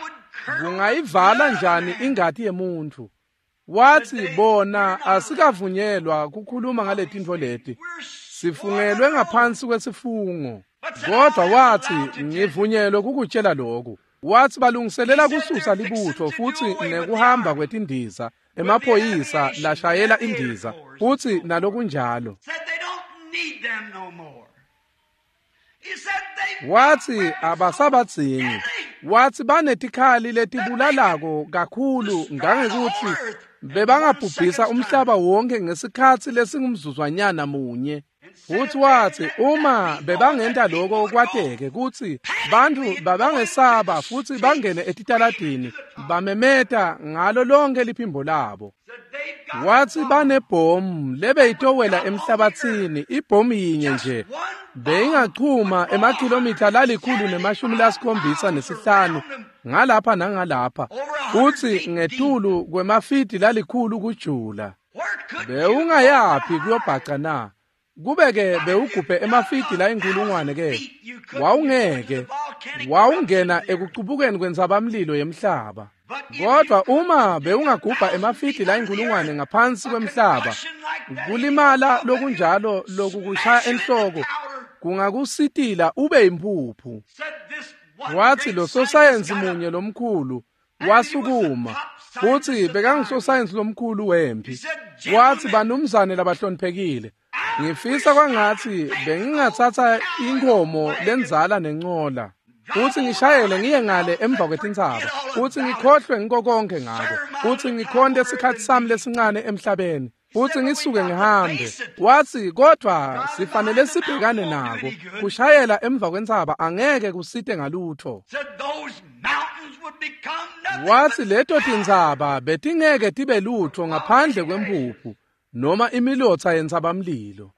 kungayivala njani ingati yemuntfu? Wathi bona asikavunyelwa kukhuluma ngaletintfo leti, sifungelwe ngaphansi kwesifungo. Kodwa wathi ngivunyelwe kukutshela lokhu. Wathi balungiselela kususa libutho futhi nekuhamba kwetindiza, emaphoyisa lashayela indiza futhi nalokunjalo. Wathi abasabadzingi. Wathi banetikhali letibulalako kakhulu ngangekuthi bebangabhubhisa umhlaba wonke ngesikhatsi lesingumzuzwanyana munye. Futhi wathi uma bebangenta lokho kwateke kutsi bantfu babangesaba futhi bangene etitaladini bamemeta ngalo lonke liphimbo labo. Wathi banebhomu lebeyitowela emhlabathini, ibhomu yinye nje beyingachuma emakhilomitha 175 ngalapha nangalapha, futhi ngetulu kwemafidi 100 kujula. Bewungayaphi kuyobhaca na? Kube-ke bewugubhe emafidi 1,000 ke, wawungeke, wawungena ekucubukeni kwentsabamlilo yemhlaba. Kodwa uma bewungagubha emafidi 1,000 ngaphansi kwemhlaba, kulimala lokunjalo lokukushaya enhloko kungakusitila ube yimpuphu. Wathi lo sosayensi munye lomkhulu wasukuma, futhi bekangusosayensi lomkhulu wempi. Wathi, "Banumzane labahloniphekile, ngifisa kwangatsi bengingatsatsa inkomo lenzala nencola futhi ngishayele ngiye ngale emva kwetintsaba, futhi ngikhohlwe ngiko konke ngako, futhi ngikhonte isikhatsi sami lesincane emhlabeni, futhi ngisuke ngihambe." Wathi, "Kodwa sifanele sibhekane nako. Kushayela emva kwentsaba angeke kusite ngalutho." Wathi leto tintsaba betingeke tibe lutho ngaphandle kwempuphu noma imilotsa yentsabamlilo.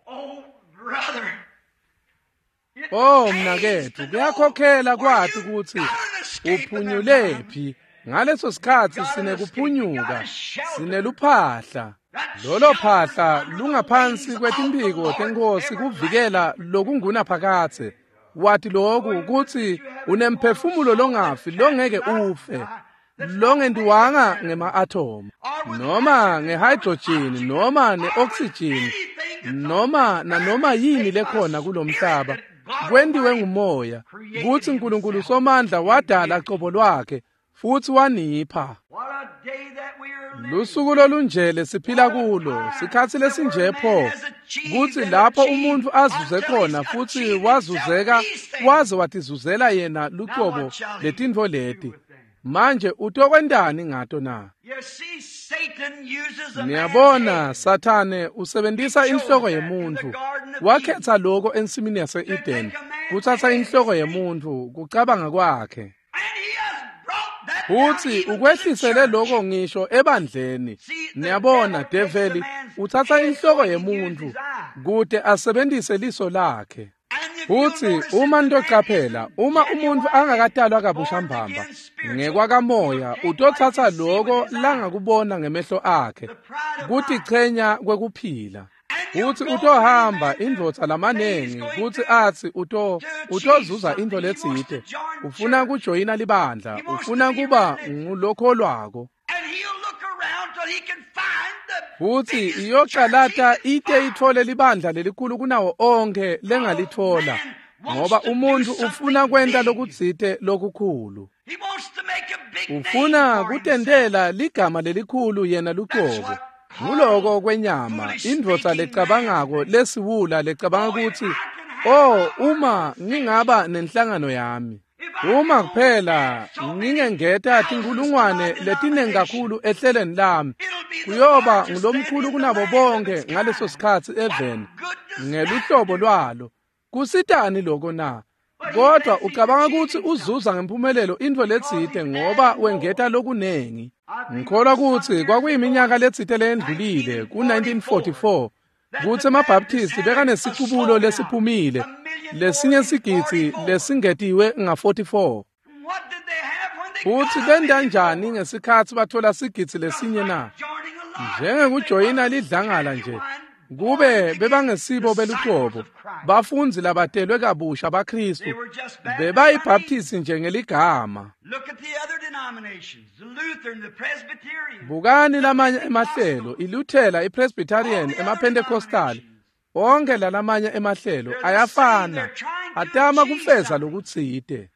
Oh mnaketfu, kuyakhokhela kwati kutsi uphunyulephi. Ngaleso sikhatsi sinekuphunyuka, sineluphahla. Lolo phahla lungaphansi kwetimphiko tenkosi kuvikela lokungunaphakadze. Wathi lokhu kutsi unemphefumulo longafi longeke ufe, longentiwanga ngema-athomu noma nge-hydrogen noma ne-oxygen noma nanoma yini lekhona kulomhlaba, kwentiwe ngumoya, kutsi Nkulunkulu Somandla wadala cobo lwakhe futhi wanipha. Lusuku lolunjele siphila kulo, sikhatsi lesinje pho, kutsi lapho umuntfu azuze khona futhi wazuzeka waze watizuzela yena lucobo letintfo leti. Manje utokwentani ngato na? Niyabona, Sathane usebentisa inhloko yemuntfu. Wakhetha lokho ensimini yase-Eden, kutsatsa inhloko yemuntfu, kucabanga kwakhe. Futhi ukwehlisele lokho ngisho ebandleni. Niyabona, develi utsatsa inhloko yemuntfu kute asebentise liso lakhe. Futhi uma nitocaphela, uma umuntfu angakatalwa kabusha mbamba ngekwakamoya, utotsatsa lokho langakubona ngemehlo akhe, kutichenya kwekuphila. Futhi utohamba indvodza lamanengi kutsi atsi utozuza intfo letsite, ufuna kujoyina libandla, ufuna kuba ngulokholwako. Futhi iyocalata ite itfole libandla lelikhulu kunawo onkhe lengalitfola, ngoba umuntfu ufuna kwenta lokutsite lokukhulu. Ufuna kutentela ligama lelikhulu yena lucobo. Nguloko kwenyama, indvodza lecabangako lesiwula lecabanga kutsi, "Oh, uma ngingaba nenhlangano yami, uma kuphela ngingengeta tinkulungwane letinengi kakhulu ehlelweni lami, kuyoba ngulomkhulu kunabo bonke ngaleso sikhatsi eveni ngeluhlobo lwalo." Kusitani lokho na? Kodwa ucabanga kutsi uzuza ngempumelelo intfo letsite ngoba wengeta lokunengi. Ngikholwa kutsi kwakuyiminyaka letsite leyendlulile ku-1944 kutsi emaBaptisti bekanesicubulo lesiphumile lesinye sigidzi lesingetiwe nga-44. Futsi benta njani ngesikhatsi bathola sigidzi lesinye na? Njengekujoyina lidlangala nje. Kube bebangesibo beluhlobo, bafundzi labatelwe kabusha baKristu, bebayibhaptisi nje ngeligama. Bukani lamanye emahlelo, iLuthela, iPresbyterian, emaPentecostal, onke lalamanye emahlelo ayafana, atama kufeza lokutsite.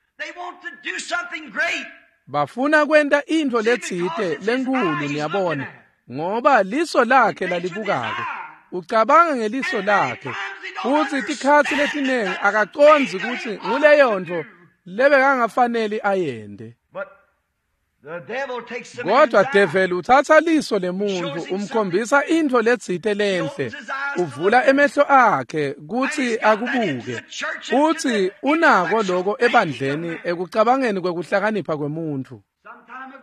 Bafuna kwenta intfo letsite lenkhulu, niyabona, ngoba liso lakhe lalibukako. Ucabanga ngeliso lakhe, futsi tikhatsi letinengi akacondzi kutsi nguleyo ntfo lebekangafaneli ayente. Kodwa develi utsatsa liso lemuntfu umkhombisa intfo letsite lenhle, uvula emehlo akhe kutsi akubuke, futsi unako loko ebandleni ekucabangeni kwekuhlakanipha kwemuntfu.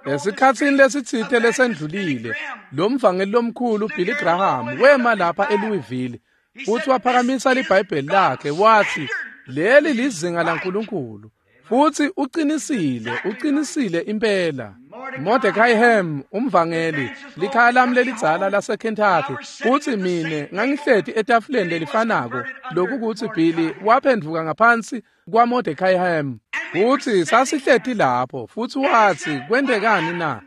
Esikhatsini lesitsite lesendlulile, lo mvangeli lomkhulu Billy Graham wema lapha eLouisville futsi waphakamisa liBhayibheli lakhe watsi, "Leli lizinga laNkulunkulu." Futsi uqinisile, uqinisile impela. Mordecai Ham, umvangeli, likhaya lami lelidzala laseKentucky, futsi mine ngangihleti etafuleni lelifanako lokukutsi Billy waphendvuka ngaphansi kwaMordecai Ham. Futsi sasihleti lapho, futsi watsi, "Kwentekani na?"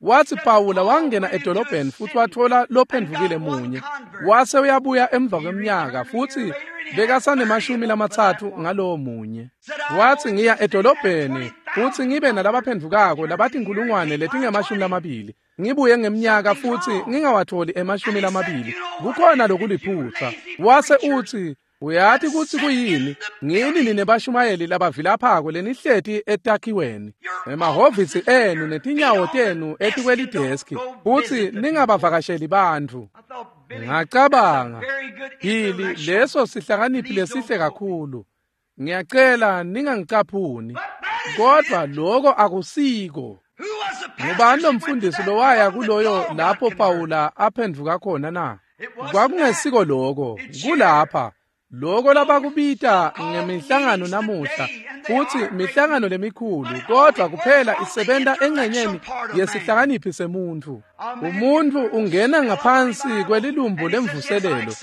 Watsi Pawula wangena edolobheni futsi watfola lophendvukile munye, wase uyabuya emva kweminyaka futsi bekasanemashumi 30 ngalowo munye. Watsi, "Ngiya edolobheni futsi ngibe nalabaphendvukako labatinkulungwane letingama-20, ngibuye ngeminyaka futsi ngingawatholi 20. Kukhona lokuliphutsa." Wase utsi, "Uyati kutsi kuyini? Ngini nine bashumayeli labavilaphako lenihleti etakhiweni, emahhovisi enu netinyawo tenu etikwelideski, futsi ningabavakasheli bantfu." Ngacabanga, Billy, leso sihlakaniphi lesihle kakhulu. Ngiyacela ningangicaphuni, kodwa loko akusiko. Ngubani lomfundisi lowaya kuloyo lapho Pawula aphendvuka khona na? Kwakungesiko loko, kulapha. Loko labakubita ngemihlangano namuhla, futsi mihlangano lemikhulu, kodwa kuphela isebenta engxenyeni yesihlakaniphi semuntfu. Umuntfu ungena ngaphansi kwelilumbu lemvuselelo,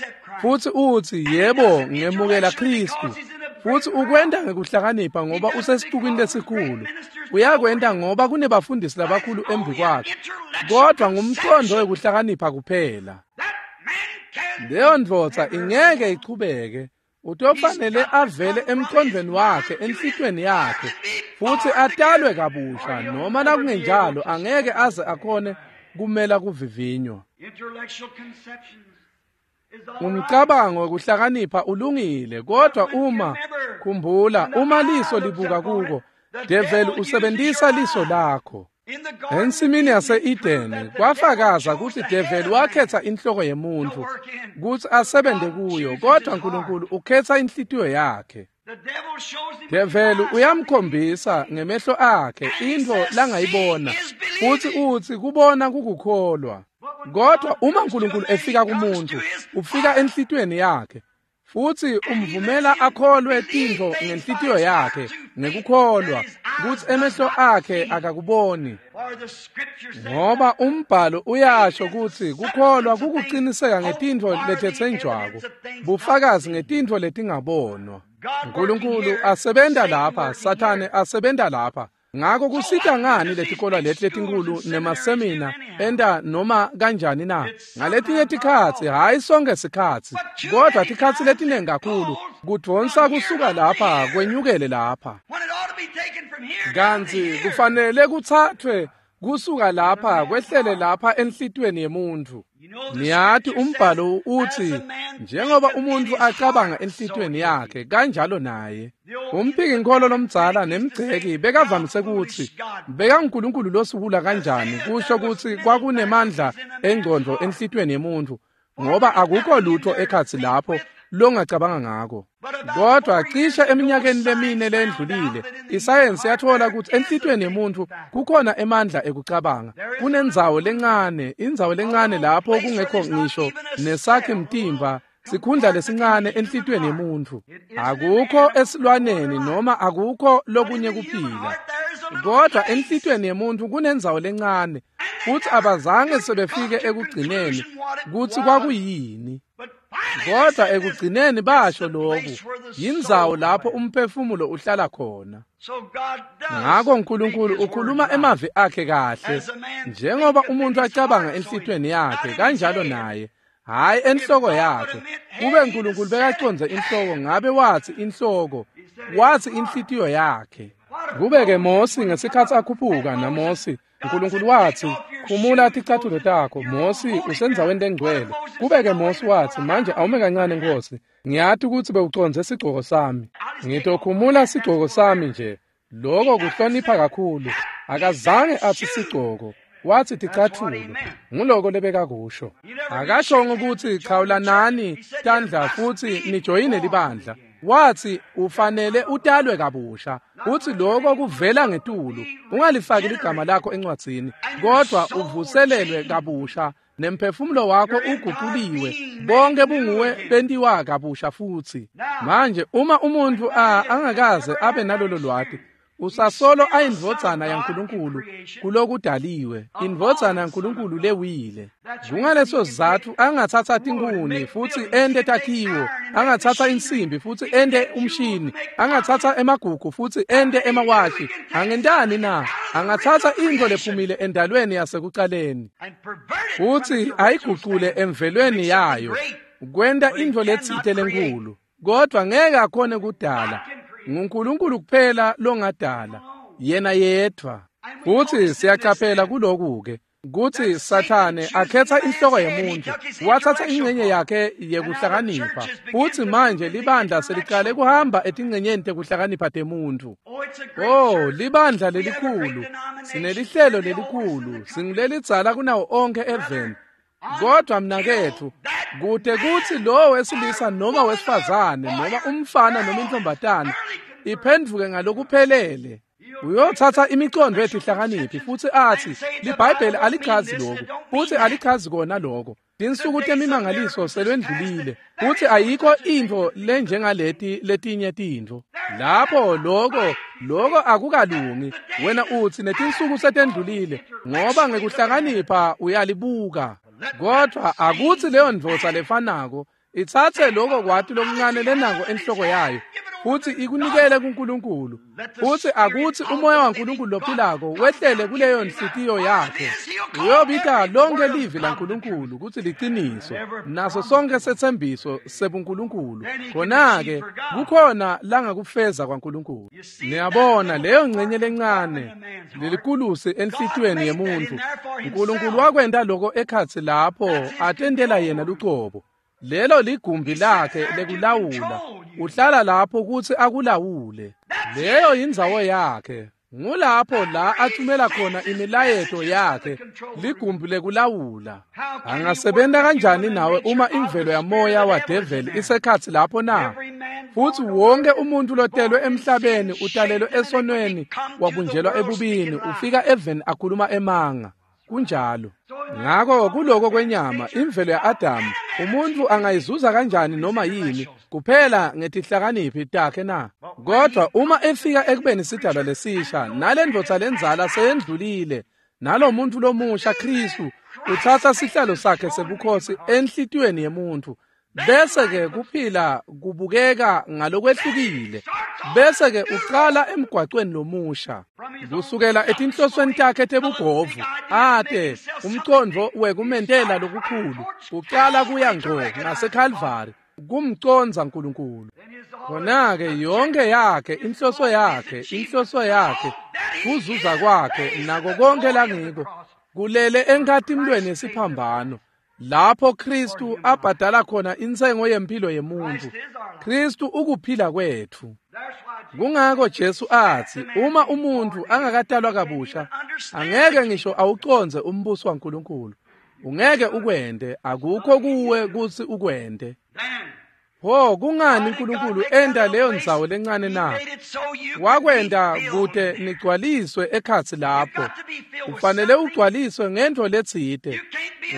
futsi utsi, "Yebo, ngemukela Khristu." Futsi ukwenta ngekuhlakanipha ngoba usesixukwini lesikhulu. Uyakwenta ngoba kunebafundisi labakhulu embi kwakhe, kodwa ngumqondo wekuhlakanipha kuphela. Leyo ndvodza ingeke ichubeke. Utofanele avele emqondweni wakhe, enhlitiyweni yakhe, futsi atalwe kabusha, noma nakungenjalo angeke aze akhone kumela kuvivinywa. Umcabango wekuhlakanipha ulungile, kodwa uma, khumbula, uma liso libuka kuko, develi usebentisa liso lakho. Ensimini yase-Edeni kwafakaza kutsi develi wakhetsa inhloko yemuntfu kutsi asebente kuyo, kodwa Nkulunkulu ukhetsa inhlitiyo yakhe. Develi uyamkhombisa ngemehlo akhe intfo langayibona, futsi utsi kubona kukukholwa. Kodwa uma Nkulunkulu efika kumuntfu, ufika enhlitiyweni yakhe, futsi umvumela akholwe tintfo ngenhlitiyo yakhe ngekukholwa kutsi emehlo akhe akakuboni. Ngoba umbhalo uyasho kutsi kukholwa kukuciniseka ngetintfo letetsenjwako, bufakazi ngetintfo letingabonwa. Nkulunkulu asebenta lapha, Sathane asebenta lapha. Ngako kusita ngani letikolwa leti letinkhulu nemasemina enta noma kanjani na? Ngaletinye tikhatsi, hhayi sonke sikhatsi, kodwa tikhatsi letinengi kakhulu kudvonsa kusuka lapha kwenyukele lapha. Kantsi kufanele kutsathwe kusuka lapha kwehlele lapha enhlitiyweni yemuntfu. Niyati umbhalo uthi njengoba umuntu acabanga enhlitiyweni yakhe kanjalo naye. Umphikinkholo lomdzala nemgceki bekavamise kutsi bekaNkulunkulu losukula kanjani kusho kutsi kwakunemandla engcondvo enhlitiyweni yemuntfu ngoba akukho lutho ekhatsi lapho longacabanga ngako. Kodwa cishe eminyakeni lemine lendlulile isayensi yathola ukuthi enhlitiyweni yemuntfu kukhona emandla ekucabanga. Kunendzawo lencane, indzawo lencane lapho kungekho ngisho nesakhi mtimba, sikhundla lesincane enhlitiyweni yemuntfu. Akukho esilwaneni noma akukho lokunye kuphila. Kodwa enhlitiyweni yemuntfu kunendzawo lencane futhi abazange sebefike ekugcineni kutsi kwakuyini. Kodwa ekugcineni basho lokhu, yindzawo lapho umphefumulo uhlala khona. Ngakho uNkulunkulu ukhuluma emavi akhe kahle, njengoba umuntu acabanga enhlitiyweni yakhe kanjalo naye, hhayi enhloko yakhe. Kube uNkulunkulu bekacondze inhloko ngabe wathi inhloko, wathi inhlitiyo yakhe. Kube-ke Mosi ngesikhatsi akhuphuka naMosi, uNkulunkulu wathi, khumula ticathulo takho, Mosi usendzaweni lengcwele. Kube-ke Mosi wathi, manje awume kancane Nkosi, ngiyati ukuthi bewucondze sigcoko sami. Ngitokhumula sigcoko sami nje. Lokho kuhlonipha kakhulu. Akazange athi sigcoko, wathi ticathulo. Nguloko lebekakusho. Akashongo ukuthi khawulanani tandla futhi nijoyine libandla. Wathi ufanele utalwe kabusha. Uthi lokho kuvela ngetulu. Ungalifaki ligama lakho encwadzini, kodwa uvuselelwe kabusha nemphefumulo wakho uguquliwe. Bonke bunguwe bentiwa kabusha futhi. Manje uma umuntu angakaze abe nalolo lwati, usasolo ayindvodzana yaNkulunkulu kulokudaliwe, indvodzana yaNkulunkulu lewile. Kungaleso sizatfu angatsatsa tinkhuni futhi ente takhiwo, angatsatsa insimbi futhi ente umshini, angatsatsa emagugu futhi ente emawashi. Angentani na? Angatsatsa intfo lephumile endalweni yasekucaleni futhi ayigucule emvelweni yayo, kwenta intfo letsite lenkulu, kodwa ngeke akhone kudala. NguNkulunkulu kuphela longadala, yena yedvwa. Futhi siyacaphela kuloku-ke kutsi Sathane akhetha inhloko yemuntu, wathatha ingcenye yakhe yekuhlakanipha, futhi manje libandla selicale kuhamba etingcenyeni tekuhlakanipha temuntu. Oh, libandla lelikhulu, sinelihlelo lelikhulu, singulelidzala kunawo onke eveni. Kodwa mnaketfu, kute kutsi lowo wesilisa noma wesifazane noma umfana noma intombatana iphendvuke ngalokuphelele, uyotsatsa imicondo yetihlakaniphi futhi athi liBhayibheli alichazi lokhu futhi alichazi kona lokho. Tinsuku temimangaliso selwendlulile futhi ayikho intfo lenjengaleti letinye tintfo. Lapho lokho akukalungi. Wena uthi netinsuku setendlulile ngoba ngekuhlakanipha uyalibuka. Kodwa akuthi leyo ndvodza lefanako itsatse lokho kwati lokuncane lenako enhloko yayo futhi ikunikele kuNkulunkulu, futhi akuthi umoya waNkulunkulu lophilako wehlele kuleyo nhliziyo yakhe. Uyobita lonke livi laNkulunkulu kutsi liciniso naso sonke setsembiso sebuNkulunkulu. Khona-ke kukhona langakufeza kwaNkulunkulu. Niyabona leyo ngcenye lencane lelikulusi enhlitiyweni yemuntu, uNkulunkulu wakwenta lokho ekhatsi lapho atentela yena lucobo. Lelo ligumbi lakhe lekulawula. Uhlala lapho kutsi akulawule. Leyo yindzawo yakhe. Ngulapho la athumela khona imilayeto yakhe, ligumbi lekulawula. Angasebenta kanjani nawe uma imvelo yamoya wadeveli isekhatsi lapho na? Futhi wonke umuntu lotelwe emhlabeni utalelwe esonweni, wabunjelwa ebubini, ufika eveni akhuluma emanga. Kunjalo. Ngakho kuloko kwenyama, imvelo ya-Adamu, umuntu angayizuza kanjani noma yini kuphela ngetihlakaniphi takhe na? Kodwa uma efika ekubeni sidalwa lesisha, nale ndvodza lendzala seyendlulile, nalo muntu lomusha Kristu utsatsa sihlalo sakhe sebukhosi enhlitiyweni yemuntu, bese-ke kuphila kubukeka ngalokwehlukile, bese-ke uqala emgwacweni lomusha kusukela etinhlosweni takhe tebugovu ate umcondvo wekumentela lokukhulu uqala kuya ngco ngaseKalvari kumcondza uNkulunkulu. Khona-ke yonke yakhe inhloso yakhe kuzuza kwakhe nako konke langiko kulele enkhatimlweni yesiphambano. Lapho Kristu abhadala khona intsengo yempilo yemuntu. Kristu ukuphila kwethu. Kungako Jesu athi uma umuntu angakatalwa kabusha angeke ngisho awucondze umbuso waNkulunkulu. Ungeke ukwende, akukho kuwe kutsi ukwende. Ho, kungani uNkulunkulu enda leyo ndzawo lencane na? Wakwenda kute nigcwaliswe ekhatsi lapho. Ufanele ugcwaliswe ngento letsite.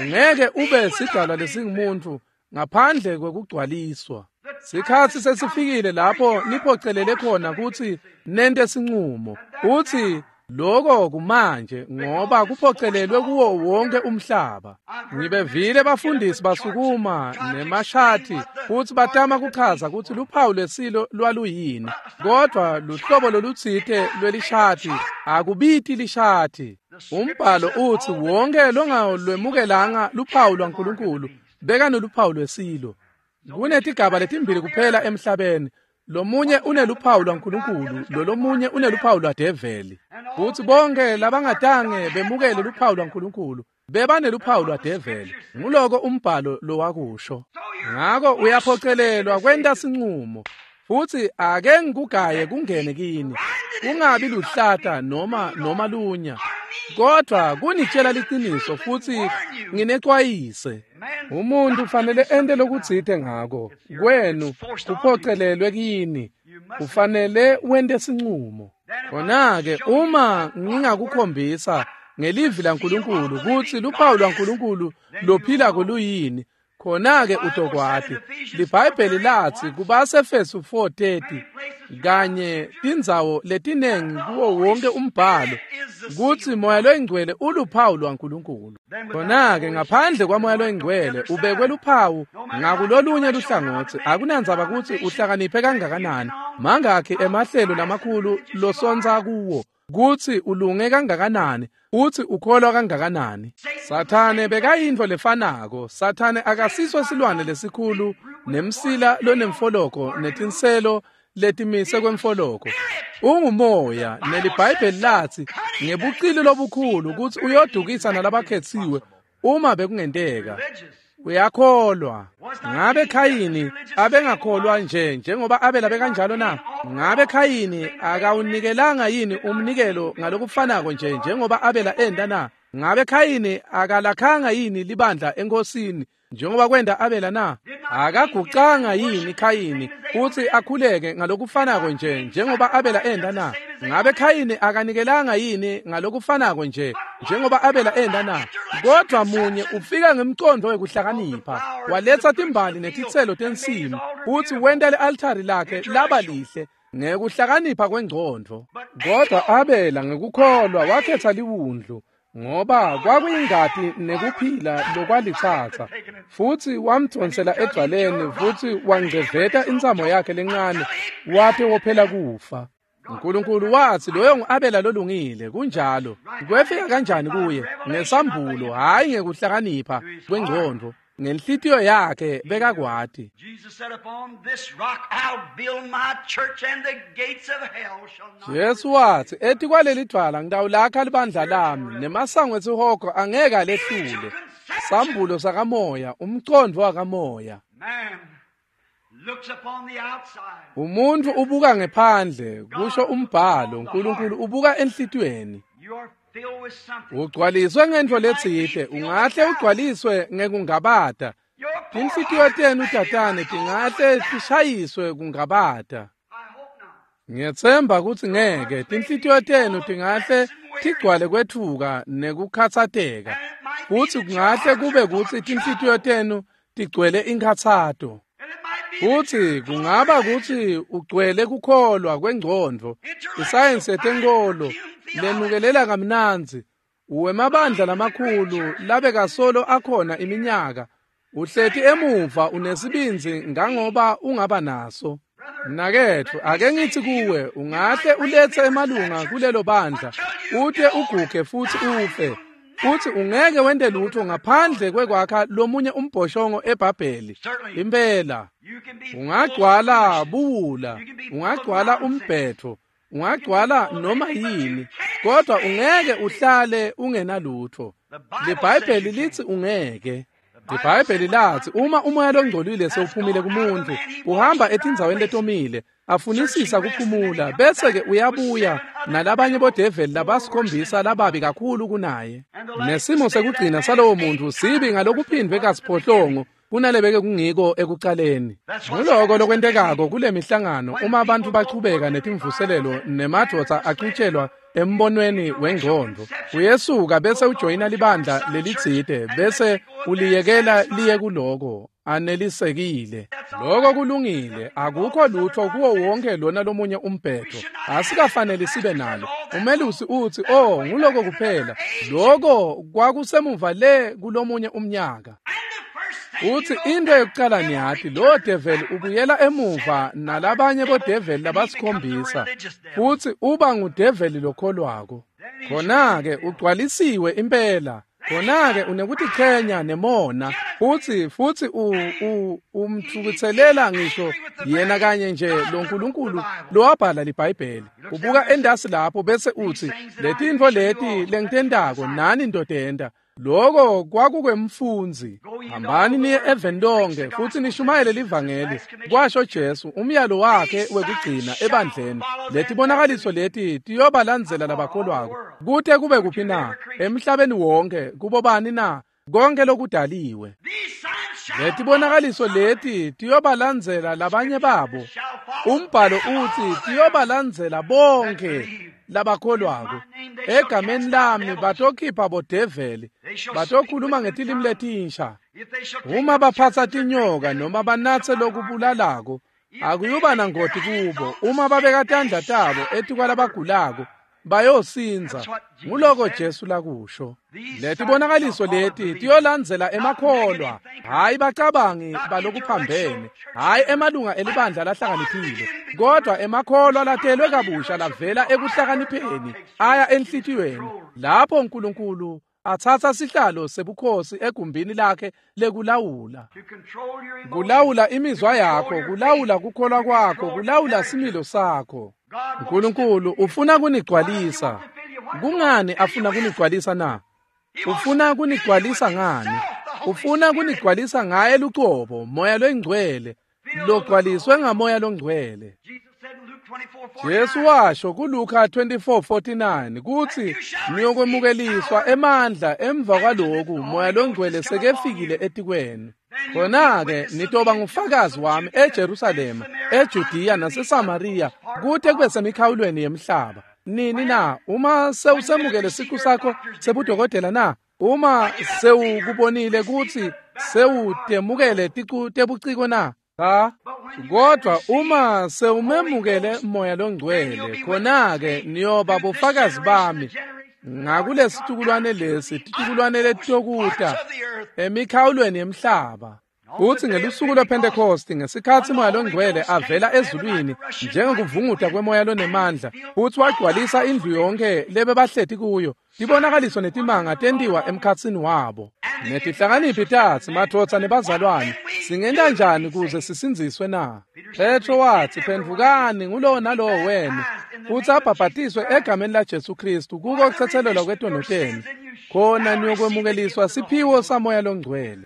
Ungeke ube sidalwa lesingumuntu ngaphandle kwekugcwaliswa. Sikhatsi sesifikile lapho niphocelele khona kutsi nente sinqumo. Uthi lokho kumanje ngoba kuphocelelwe kuwo wonke umhlaba. Ngibevile bafundisi basukuma nemashati futhi batama kuchaza kutsi luphawu lwesilo lwaluyini, kodwa luhlobo lolutsite lwelishati akubiti lishati. Umbhalo uthi wonke longalwemukelanga luphawu lwaNkulunkulu bekaneluphawu lwesilo. Kunetigaba letimbili kuphela emhlabeni. Lomunye uneluphawu lwaNkulunkulu, lolomunye uneluphawu lwadeveli. Futhi bonke labangatange bemukele luphawu lwaNkulunkulu bebaneluphawu lwadeveli. Nguloko umbhalo lowakusho. Ngako uyaphocelelwa kwenta sinqumo. Futhi ake ngikugaye kungene kini, kungabi luhlata noma lunya, kodwa kunitshela liqiniso futhi nginexwayise. Umuntu ufanele ente lokutsite ngako kwenu kuphocelelwe kini. Ufanele wente sinqumo. Khona-ke uma ngingakukhombisa ngelivi laNkulunkulu kutsi luphawu lwaNkulunkulu lophilako luyini, khona-ke utokwati. LiBhayibheli lathi kubaseEfesu 4:30 kanye tindzawo letinengi kuwo wonke umbhalo kutsi Moya loyiNgcwele uluphawu lwaNkulunkulu. Khona-ke ngaphandle kwaMoya loyiNgcwele ubekwe luphawu ngakulolunye luhlangotsi. Akunandzaba kutsi uhlakaniphe kangakanani, mangakhi emahlelo lamakhulu losontsa kuwo, kutsi ulunge kangakanani, uthi ukholwa kangakanani. Sathane bekayintfo lefanako. Sathane akasiso silwane lesikhulu nemsila lonemfoloko netinselo letimise kwemfoloko. Ungumoya, neliBhayibheli lathi ngebucili lobukhulu kutsi uyodukisa nalabakhetsiwe uma bekungenteka. Uyakholwa. Ngabe Khayini abengakholwa nje njengoba Abela bekanjalo na? Ngabe Khayini akawunikelanga yini umnikelo ngalokufanako nje njengoba Abela enda na? Ngabe Khayini akalakhanga yini libandla enkosini njengoba kwenda Abela na? Akagucanga yini Khayini futhi akhuleke ngalokufanako nje njengoba Abela enda na? Ngabe Khayini akanikelanga yini ngalokufanako nje njengoba Abela enda na? Kodwa munye ufika ngemcondo wekuhlakanipha, waletsa timbali netitselo tensimu, futhi wenta le-altari lakhe laba lihle ngekuhlakanipha kwengcondvo. Kodwa Abela ngekukholwa wakhetha liwundlu, ngoba kwakuyingati nekuphila lokwalitsatsa, futhi wamdonsela edvwaleni futhi wangceveta intsamo yakhe lencane wate wophela kufa. uNkulunkulu wathi loyo ngu-Abela lolungile. Kunjalo. Kwefika kanjani kuye? Ngesambulo, hhayi ngekuhlakanipha kwengcondvo. Ngenhlitiyo yakhe bekakwati. Jesu wathi etikwaleli dvwala ngitawulakha libandla lami, nemasango esihogo angeke alehlule. Sambulo sakamoya, umcondvo wakamoya. Umuntu ubuka ngephandle, kusho umbhalo. uNkulunkulu ubuka enhlitiyweni. Ugcwaliswe ngentfo letsite, ungahle ugcwaliswe ngekungabata. Tinhlitiyo tenu tatane tingahle tishayiswe kungabata. Ngiyetsemba kutsi ngeke. Tinhlitiyo tenu tingahle tigcwale kwetfuka nekukhatsateka, futsi kungahle kube kutsi tinhlitiyo tenu tigcwele inkhatsato. Futsi kungaba kutsi ugcwele kukholwa kwengcondvo, isayensi yetenkolo lenukelela kamnandzi, uwemabandla lamakhulu labekasolo akhona iminyaka, uhleti emuva unesibindzi ngangoba ungaba naso. Mnaketfu, ake ngithi kuwe, ungahle uletse emalunga kulelo bandla, ute uguge futsi ufe, futhi ungeke wente lutho ngaphandle kwekwakha lomunye umbhoshongo eBhabheli. Impela ungagcwala buwula, ungagcwala umbhetho, ungagcwala noma yini, kodwa ungeke uhlale ungenalutho. LiBhayibheli lithi ungeke. IBhayibheli lathi uma umoya longcolile sewuphumile kumuntu, uhamba etindzaweni letomile, afunisisa kuphumula, bese-ke uyabuya nalabanye bodeveli labasikhombisa lababi kakhulu kunaye. Nesimo sekugcina salowo muntu sibi ngalokuphindwe kasiphohlongo kunalebeke kungiko ekucaleni. Nguloko lokwentekako kule mihlangano uma abantu bachubeka netimvuselelo nemadvodza acutshelwa embonweni wengqondo. Uyesuka bese ujoyina libandla lelitsite bese uliyekela liye kuloko anelisekile. Loko kulungile, akukho lutho kuwo wonke lona lomunye umbhedo. Asikafanele sibe nalo. Umelusi uthi, "Oh, nguloko kuphela." Loko kwakusemuva le kulomunye umnyaka. Uthi into yokucala niyathi lo devil ubuyela emuva nalabanye bodeveli labasikhombisa, futhi uba ngudeveli lokholwako. Khona-ke ugcwalisiwe impela. Khona-ke unekutichenya nemona, futhi umthukuthelela ngisho yena kanye nje lo nkulunkulu lowabhala liBhayibheli. Ubuka endasi lapho bese uthi, letintfo leti lengitentako nani ndodenta. Loko kwakukwemfundzi. Hambani niye eveni lonke futhi nishumayele livangeli, kwasho Jesu, umyalo wakhe wekugcina ebandleni. Letibonakaliso leti tiyobalandzela labakholwako kute kube kuphi na? Emhlabeni wonke. Kubo bani na? Konke lokudaliwe. Letibonakaliso leti tiyobalandzela labanye babo. Umbhalo uthi tiyobalandzela bonke labakholwako. Egameni lami batokhipha bodeveli, batokhuluma ngetilimi letinsha. Uma baphatsa tinyoka noma banatse lokubulalako, akuyuba nangoti kubo. Uma babeka tandla tabo etikwalabagulako, bayosindza. Nguloko Jesu lakusho. Letibonakaliso leti tiyolandzela emakholwa, hayi bacabangi balokuphambene, hayi emalunga elibandla lahlakaniphile, kodwa emakholwa latelwe kabusha lavela ekuhlakanipheni aya enhlitiyweni, lapho uNkulunkulu atsatsa sihlalo sebukhosi egumbini lakhe lekulawula. Kulawula imizwa yakho, kulawula kukholwa kwakho, kulawula similo sakho. uNkulunkulu ufuna kunigcwalisa. Kungani afuna kunigcwalisa na? Ufuna kunigcwalisa ngani? Ufuna kunigcwalisa ngaye lucobo, moya longcwele, logcwaliswe ngamoya longcwele. Jesu washo kuLuka 24:49 kutsi niyokwemukeliswa emandla emva kwaloku moya longcwele sekefikile etikwenu. Khona-ke nitoba ngufakazi wami eJerusalema, eJudiya naseSamariya, kute kube semikhawulweni yemhlaba. Nini na? Uma sewusemukele siqu sakho sebudokotela na? Uma sewukubonile kutsi sewutemukele ticu tebuciko na? Cha. Kodwa uma sewumemukele moya longcwele, khona-ke niyoba bofakazi bami ngakulesitukulwane lesi, titukulwane letitokuta emikhawulweni yemhlaba. Kuthi ngelusuku lwePhentekosti, ngesikhatsi moya longcwele avela ezulwini njengokuvunguta kwemoya lonemandla, futhi wagcwalisa indlu yonke lebebahleti kuyo, tibonakaliso netimanga tentiwa emkhatsini wabo. Netihlakaniphi tatsi, madvodza nebazalwane, singenta njani kuze sisindziswe na? Petro watsi, phendvukani ngulowo nalowo wenu, futhi abhabhatiswe egameni laJesu Kristu kuko kutsetselelwa kwetono tenu, khona niyokwemukeliswa siphiwo samoya longcwele.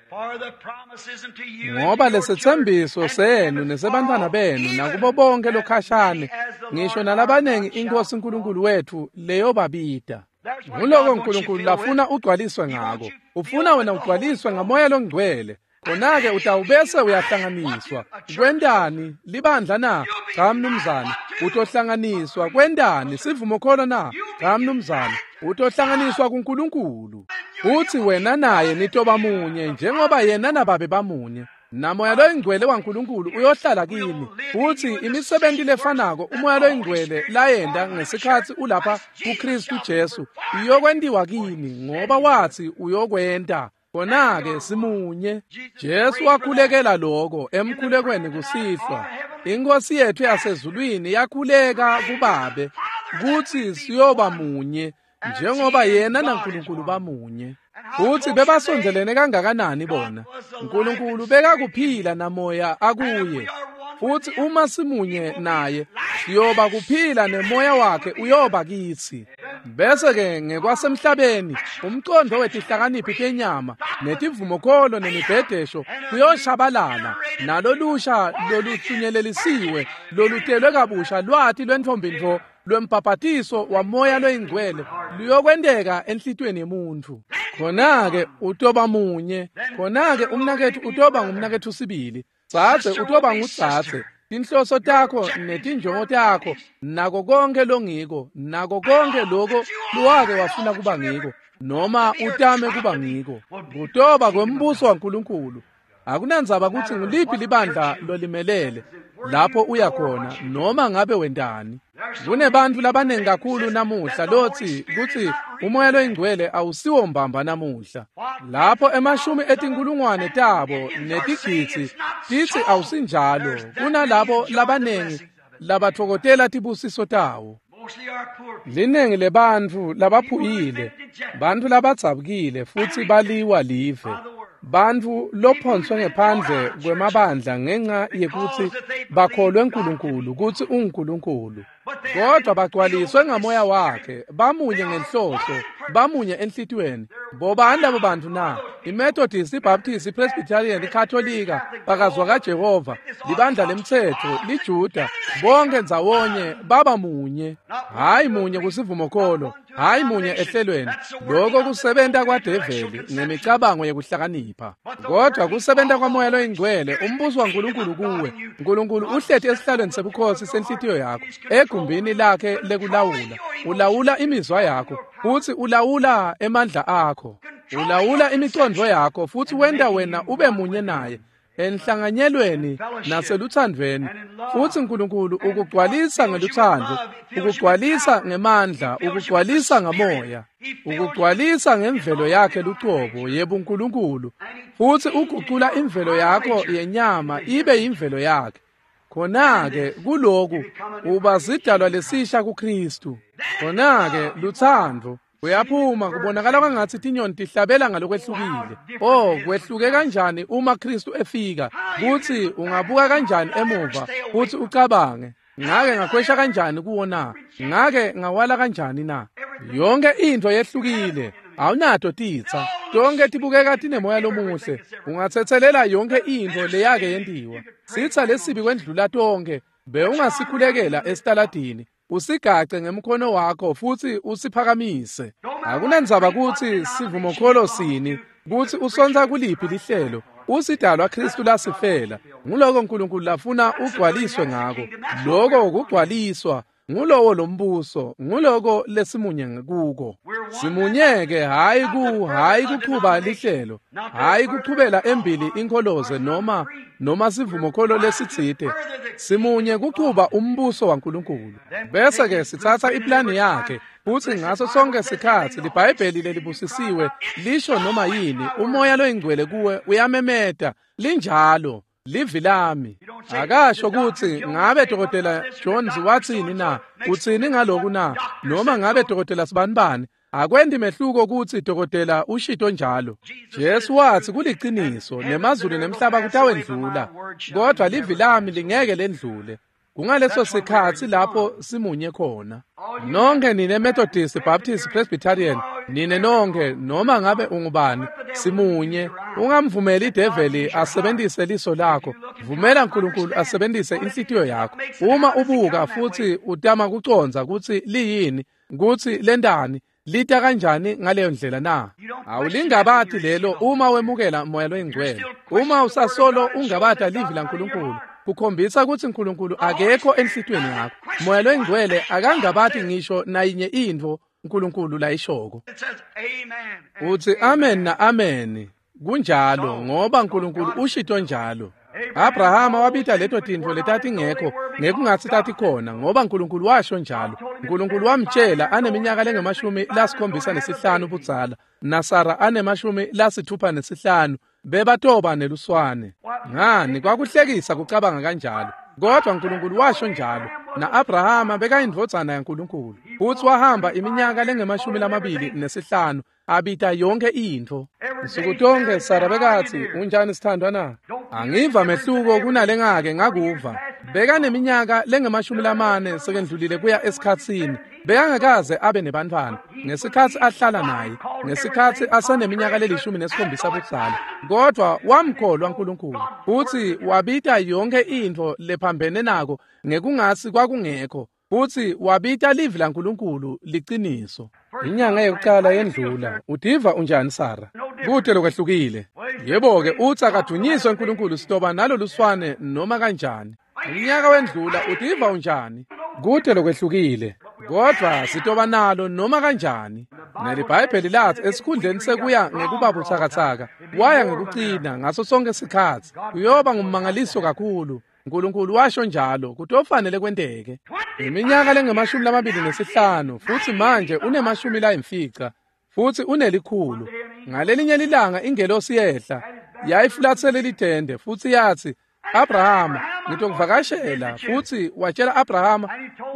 Ngoba lesetsembiso senu nesebantfwana benu nakubo bonke lokhashane, ngisho nalabanengi iNkosi uNkulunkulu wethu leyobabita. Nguloko uNkulunkulu lafuna ugcwaliswe ngako. Ufuna wena ugcwaliswe ngamoya longcwele. Khona-ke utawubese uyahlanganiswa. Kwentani? Libandla na? Cha mnumzane. Utohlanganiswa. Kwentani? Sivumokholo na? Cha mnumzane. Utohlanganiswa kuNkulunkulu. Uthi wena naye nitoba munye njengoba yena nababe bamunye. Namoya loyingcwele waNkulunkulu uyohlala kini. Uthi imisebenti lefanako umoya loyingcwele layenta ngesikhatsi ulapha kuKristu Jesu iyokwentiwa kini, ngoba wathi uyokwenta. Khona-ke simunye. Jesu wakhulekela lokho emkhulekweni kusihlwa. Inkosi yethu yasezulwini yakhuleka kuBabe kutsi siyoba munye njengoba yena naNkulunkulu bamunye. Futhi bebasondzelene kangakanani bona? uNkulunkulu bekakuphila namoya akuye. Futhi uma simunye naye, siyoba kuphila nemoya wakhe uyoba kitsi. Bese-ke ngekwasemhlabeni umqondo wetihlakaniphi tenyama netivumokholo nemibhedesho kuyoshabalala, nalolusha loluhlunyelelisiwe lolutelwe kabusha lwati lwentfombi lwembhabhatiso wamoya loyingcwele luyokwenteka enhlitiyweni yemuntfu. Khona-ke utoba munye, khona-ke umnaketfu utoba ngumnaketfu sibili, dzadze utoba ngudzadze. Tinhloso takho netinjongo takho nako konke longiko, nako konke loko lowake wafuna kuba ngiko noma utame kuba ngiko, kutoba kwembuso waNkulunkulu. Akunandzaba kutsi nguliphi libandla lolimelele lapho uya khona noma ngabe wentani. Kunebantfu labanengi kakhulu namuhla lotsi kutsi umoya loyingcwele awusiwo mbamba namuhla. Lapho emashumi etinkulungwane tabo netigidzi titsi awusinjalo, kunalabo labanengi labatfokotela tibusiso tawo. Linengi lebantfu labaphuyile, bantfu labadzabukile futsi baliwa live, bantfu lophonswe ngephandle kwemabandla ngenxa yekutsi bakholwe uNkulunkulu kutsi unguNkulunkulu, kodwa bagcwaliswe ngamoya wakhe, bamunye ngenhloso, bamunye enhlitiyweni. Bobani labo bantfu na? IMethodist, iBaptist, iPresbyterian, iKatolika, bakazwa kaJehova, libandla lemtsetfo, liJuda, bonke ndzawonye baba munye. Hayi munye kusivumokholo, hayi munye ehlelweni. Lokho kusebenta kwadeveli ngemicabango yekuhlakanipha, kodwa kusebenta kwamoya loyingcwele, umbuso waNkulunkulu kuwe. Nkulunkulu uhleti esihlalweni sebukhosi senhlitiyo yakho, egumbini lakhe lekulawula. Ulawula imizwa yakho futsi ulawula emandla akho, ulawula imicondvo yakho futsi wenta wena ube munye naye enhlanganyelweni naseluthandvweni. Futsi Nkulunkulu ukugcwalisa ngeluthando, ukugcwalisa ngemandla, ukugcwalisa ngamoya, ukugcwalisa ngemvelo yakhe lucobo yebuNkulunkulu, futsi ugucula imvelo yakho yenyama ibe imvelo yakhe. Khona-ke kuloku uba sidalwa lesisha kuKristu. Khona-ke luthando uyaphuma, kubonakala kwangatsi tinyoni tihlabela ngalokwehlukile. Oh, kwehluke kanjani uma Kristu efika, kutsi ungabuka kanjani emuva futsi ucabange, ngake ngakhwesha kanjani kuwo na? Ngake ngawala kanjani na? Yonke intfo yehlukile, awunato titsa, tonke tibukeka tinemoya lomuhle. Ungatsetselela yonke intfo leyake yentiwa. Sitsa lesibi kwendlula tonke bewungasikhulekela esitaladini, usigace ngemkhono wakho futsi usiphakamise. Akunandzaba kutsi sivumokholo sini, kutsi usontsa kuliphi lihlelo, usidalwa Kristu lasifela. Nguloko Nkulunkulu lafuna ugcwaliswe ngako. Loko kugcwaliswa ngulowo lombuso, nguloko lesimunye kuko. Simunyeke hayi kuchuba lihlelo, hayi kuchubela embili inkholoze noma sivumokholo lesitsite. Simunye kuchuba umbuso waNkulunkulu. Bese ke sitsatsa iplani yakhe futsi ngaso sonke sikhatsi liBhayibheli lelibusisiwe lisho noma yini, umoya loyingcwele kuwe uyamemeta, linjalo livi lami. Akasho kutsi ngabe Dokotela Jones watsini na, utsini ngaloku na, noma ngabe Dokotela Sibanibani. Akwendi mehluko kutsi dokotela ushito njalo. Jesu watsi kuliciniso, nemazulu nemhlaba kutawendlula, kodwa livi lami lingeke lendlule. Kungaleso sikhatsi lapho simunye khona. Nonke nine Methodist, Baptist, Presbyterian, nine nonke noma ngabe ungubani, simunye. Ungamvumeli ideveli asebenzise liso lakho, vumela uNkulunkulu asebenzise inhlitiyo yakho. Uma ubuka futsi utama kucondza kutsi liyini, kutsi lentani, lita kanjani ngaleyo ndlela na? Awulingabati lelo uma wemukela moya loyingcwele. Uma usasolo ungabata livi laNkulunkulu, kukhombisa kutsi uNkulunkulu akekho enhlitiyweni yakho. Moya loyingcwele akangabati ngisho nayinye intfo uNkulunkulu layishoko. Utsi amen na amen. Kunjalo ngoba uNkulunkulu ushito njalo. Abrahama wabita leto tintfo letatingekho ngekungatsi tatikhona ngoba uNkulunkulu washo njalo. uNkulunkulu wamtjela aneminyaka lengu-75 budzala naSara anema-65 bebatoba neluswane. Ngani kwakuhlekisa kucabanga kanjalo, kodwa uNkulunkulu washo njalo. Na-Abrahama bekayindvodzana yaNkulunkulu futsi wahamba iminyaka lengu-25 abita yonke intfo. Nsuku tonke Sara bekatsi, unjani sithandwa na? Angiva mehluko kunalengake ngakuva. Bekaneminyaka lengama-40 sekendlulile kuya esikhatsini. Bekangakaze abe nebantfwana ngesikhatsi ahlala naye, ngesikhatsi aseneminyaka le-17 budzala. Kodwa wamkholwa uNkulunkulu futsi wabita yonke intfo lephambene nako ngekungasi kwakungekho, futsi wabita livi laNkulunkulu liciniso. Inyanga yokuqala yendlula. Utiva unjani Sara? Kute lokwehlukile. Yebo-ke, utsi akadunyiswe uNkulunkulu, sitoba naloluswane noma kanjani. Unyaka wendlula, utiva unjani? Kute lokwehlukile. Kodwa sitoba nalo noma kanjani. NeliBhayibheli lathi esikhundleni sekuya ngekuba butsakatsaka, waya ngekucina ngaso sonke sikhatsi. Kuyoba ngummangaliso kakhulu. uNkulunkulu washo njalo, kutofanele kwenteke. Iminyaka lengama-25 futsi manje une-50 futsi une-100. Ngalelinye lilanga ingelosi yehla, yayifulatsele litende futsi yatsi, Abrahama, ngitokuvakashela. Futsi watshela Abrahama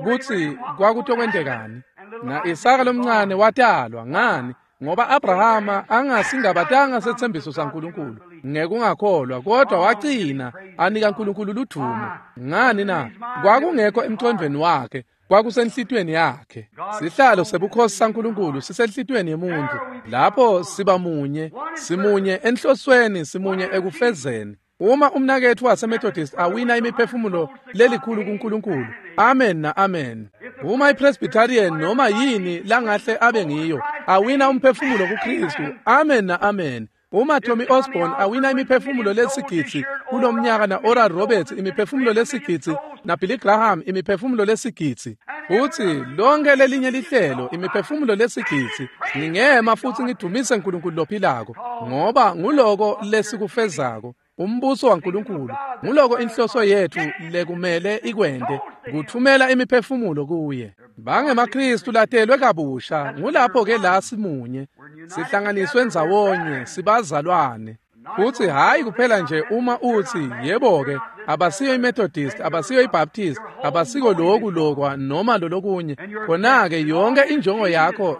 kutsi kwakutokwentekani. Na Isaka lomncane watalwa. Ngani? Ngoba Abrahama angasingabatanga setsembiso saNkulunkulu ngekungakholwa, kodwa wacina anika uNkulunkulu ludumo. Ngani na? Kwakungekho emcondvweni wakhe, kwakusenhlitiyweni yakhe. Sihlalo sebukhosi saNkulunkulu sisenhlitiyweni yemuntu. Lapho siba munye, simunye enhlosweni, simunye ekufezeni. Uma umnaketfu waseMethodist awina imiphefumulo lelikhulu kuNkulunkulu, amen na amen. Uma iPresbyterian noma yini langahle abe ngiyo awina umphefumulo kuKristu, amen na amen. Uma Tommy Osborne awina imiphefumulo lesigidzi kulomnyaka, na Oral Roberts imiphefumulo lesigidzi, na Billy Graham imiphefumulo lesigidzi, futsi lonke lelinye lihlelo imiphefumulo lesigidzi, ngingema futsi ngidumise uNkulunkulu lophilako, ngoba nguloko lesikufezako. Umbuso waNkulunkulu nguloko inhloso yethu lekumele ikwente, kuthumela imiphefumulo kuye. BangemaKristu latelwe kabusha, ngulapho ke la simunye, sihlanganiswe ndzawonye, sibazalwane. Futsi hayi kuphela nje uma utsi, yebo-ke, abasiyo iMethodist, abasiyo iBaptist, abasiko loku lokwa noma lolokunye, khona-ke yonke injongo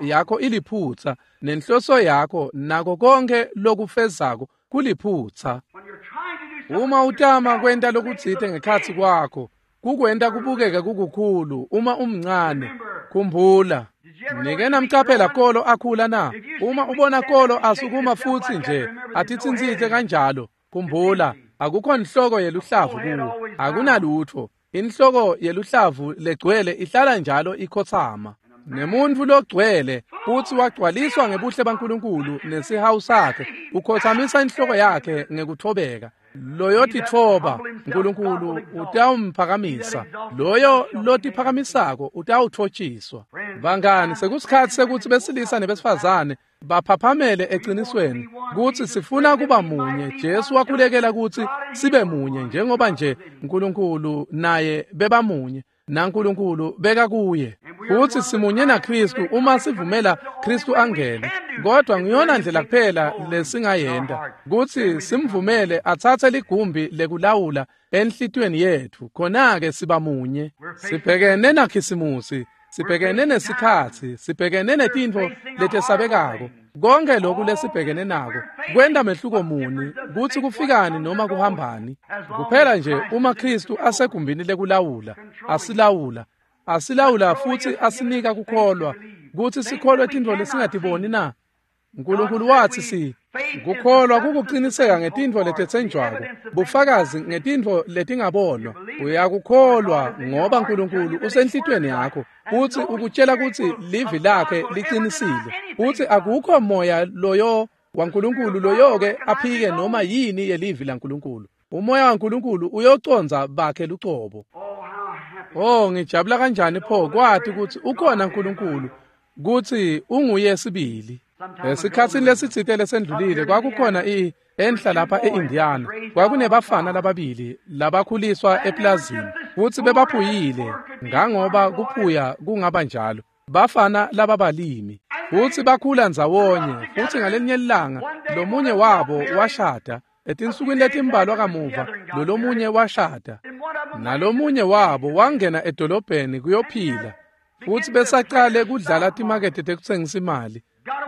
yakho iliphutsa, nenhloso yakho nako konke lokufezako kuliphutsa. Uma utama kwenta lokutsite ngekhatsi kwakho, kukwenta kubukeke kukukhulu uma umncane. Khumbula, nike namcaphela kolo akhula na? Uma ubona kolo asukuma futsi nje atitsintsitse kanjalo, khumbula, akukho inhloko yeluhlavu kuwo, akunalutfo. Inhloko yeluhlavu legcwele ihlala njalo ikhotsama. Nemuntfu logcwele futsi wagcwaliswa ngebuhle baNkulunkulu nesihawu sakhe, ukhotsamisa inhloko yakhe ngekuthobeka. Loyotitfoba uNkulunkulu utawumphakamisa, loyo lotiphakamisako utawutfotshiswa. Bangani, sekusikhatsi sekutsi besilisa nebesifazane baphaphamele eqinisweni kutsi sifuna kuba munye. Jesu wakhulekela kutsi sibe munye njengoba nje uNkulunkulu naye bebamunye, naNkulunkulu beka kuye. Futsi simunye naKristu uma sivumela Kristu angene. Kodwa ngiyona ndlela kuphela lesingayenta kutsi simvumele atsatse ligumbi lekulawula enhlitiyweni yetfu, khona-ke siba munye. Sibhekene naKhisimusi, sibhekene nesikhatsi, sibhekene netintfo letesabekako. Konke lokhu lesibhekene nako kwenta mehluko muni kutsi kufikani noma kuhambani? Kuphela nje uma Kristu asegumbini lekulawula, asilawula futsi asinika kukholwa kutsi sikholwe tintfo lesingatiboni na? uNkulunkulu watsi kukholwa kukuqiniseka ngetintfo letetsenjwako, bufakazi ngetintfo letingabonwa. Uyakukholwa ngoba uNkulunkulu usenhlitiyweni yakho, futsi ukutshela kutsi livi lakhe liqinisile, futsi akukho moya loyo waNkulunkulu loyoke aphike noma yini yelivi laNkulunkulu. Umoya waNkulunkulu uyocondza bakhe lucobo. Oh, ngijabula kanjani pho kwati kutsi ukhona uNkulunkulu, kutsi unguye sibili. Esikhatsini lesitsite lesendlulile kwakukhona enhla lapha eIndiana, kwakunebafana lababili labakhuliswa eplazini, futsi bebaphuyile ngangoba kuphuya kungaba njalo. Bafana lababalimi futsi bakhula ndzawonye, futsi ngalelinye ilanga lomunye wabo washada. Etinsukwini letimbalwa kamuva lolomunye washada, nalomunye wabo wangena edolobheni kuyophila, futsi besaqale kudlala timakethe tekutsengisa imali.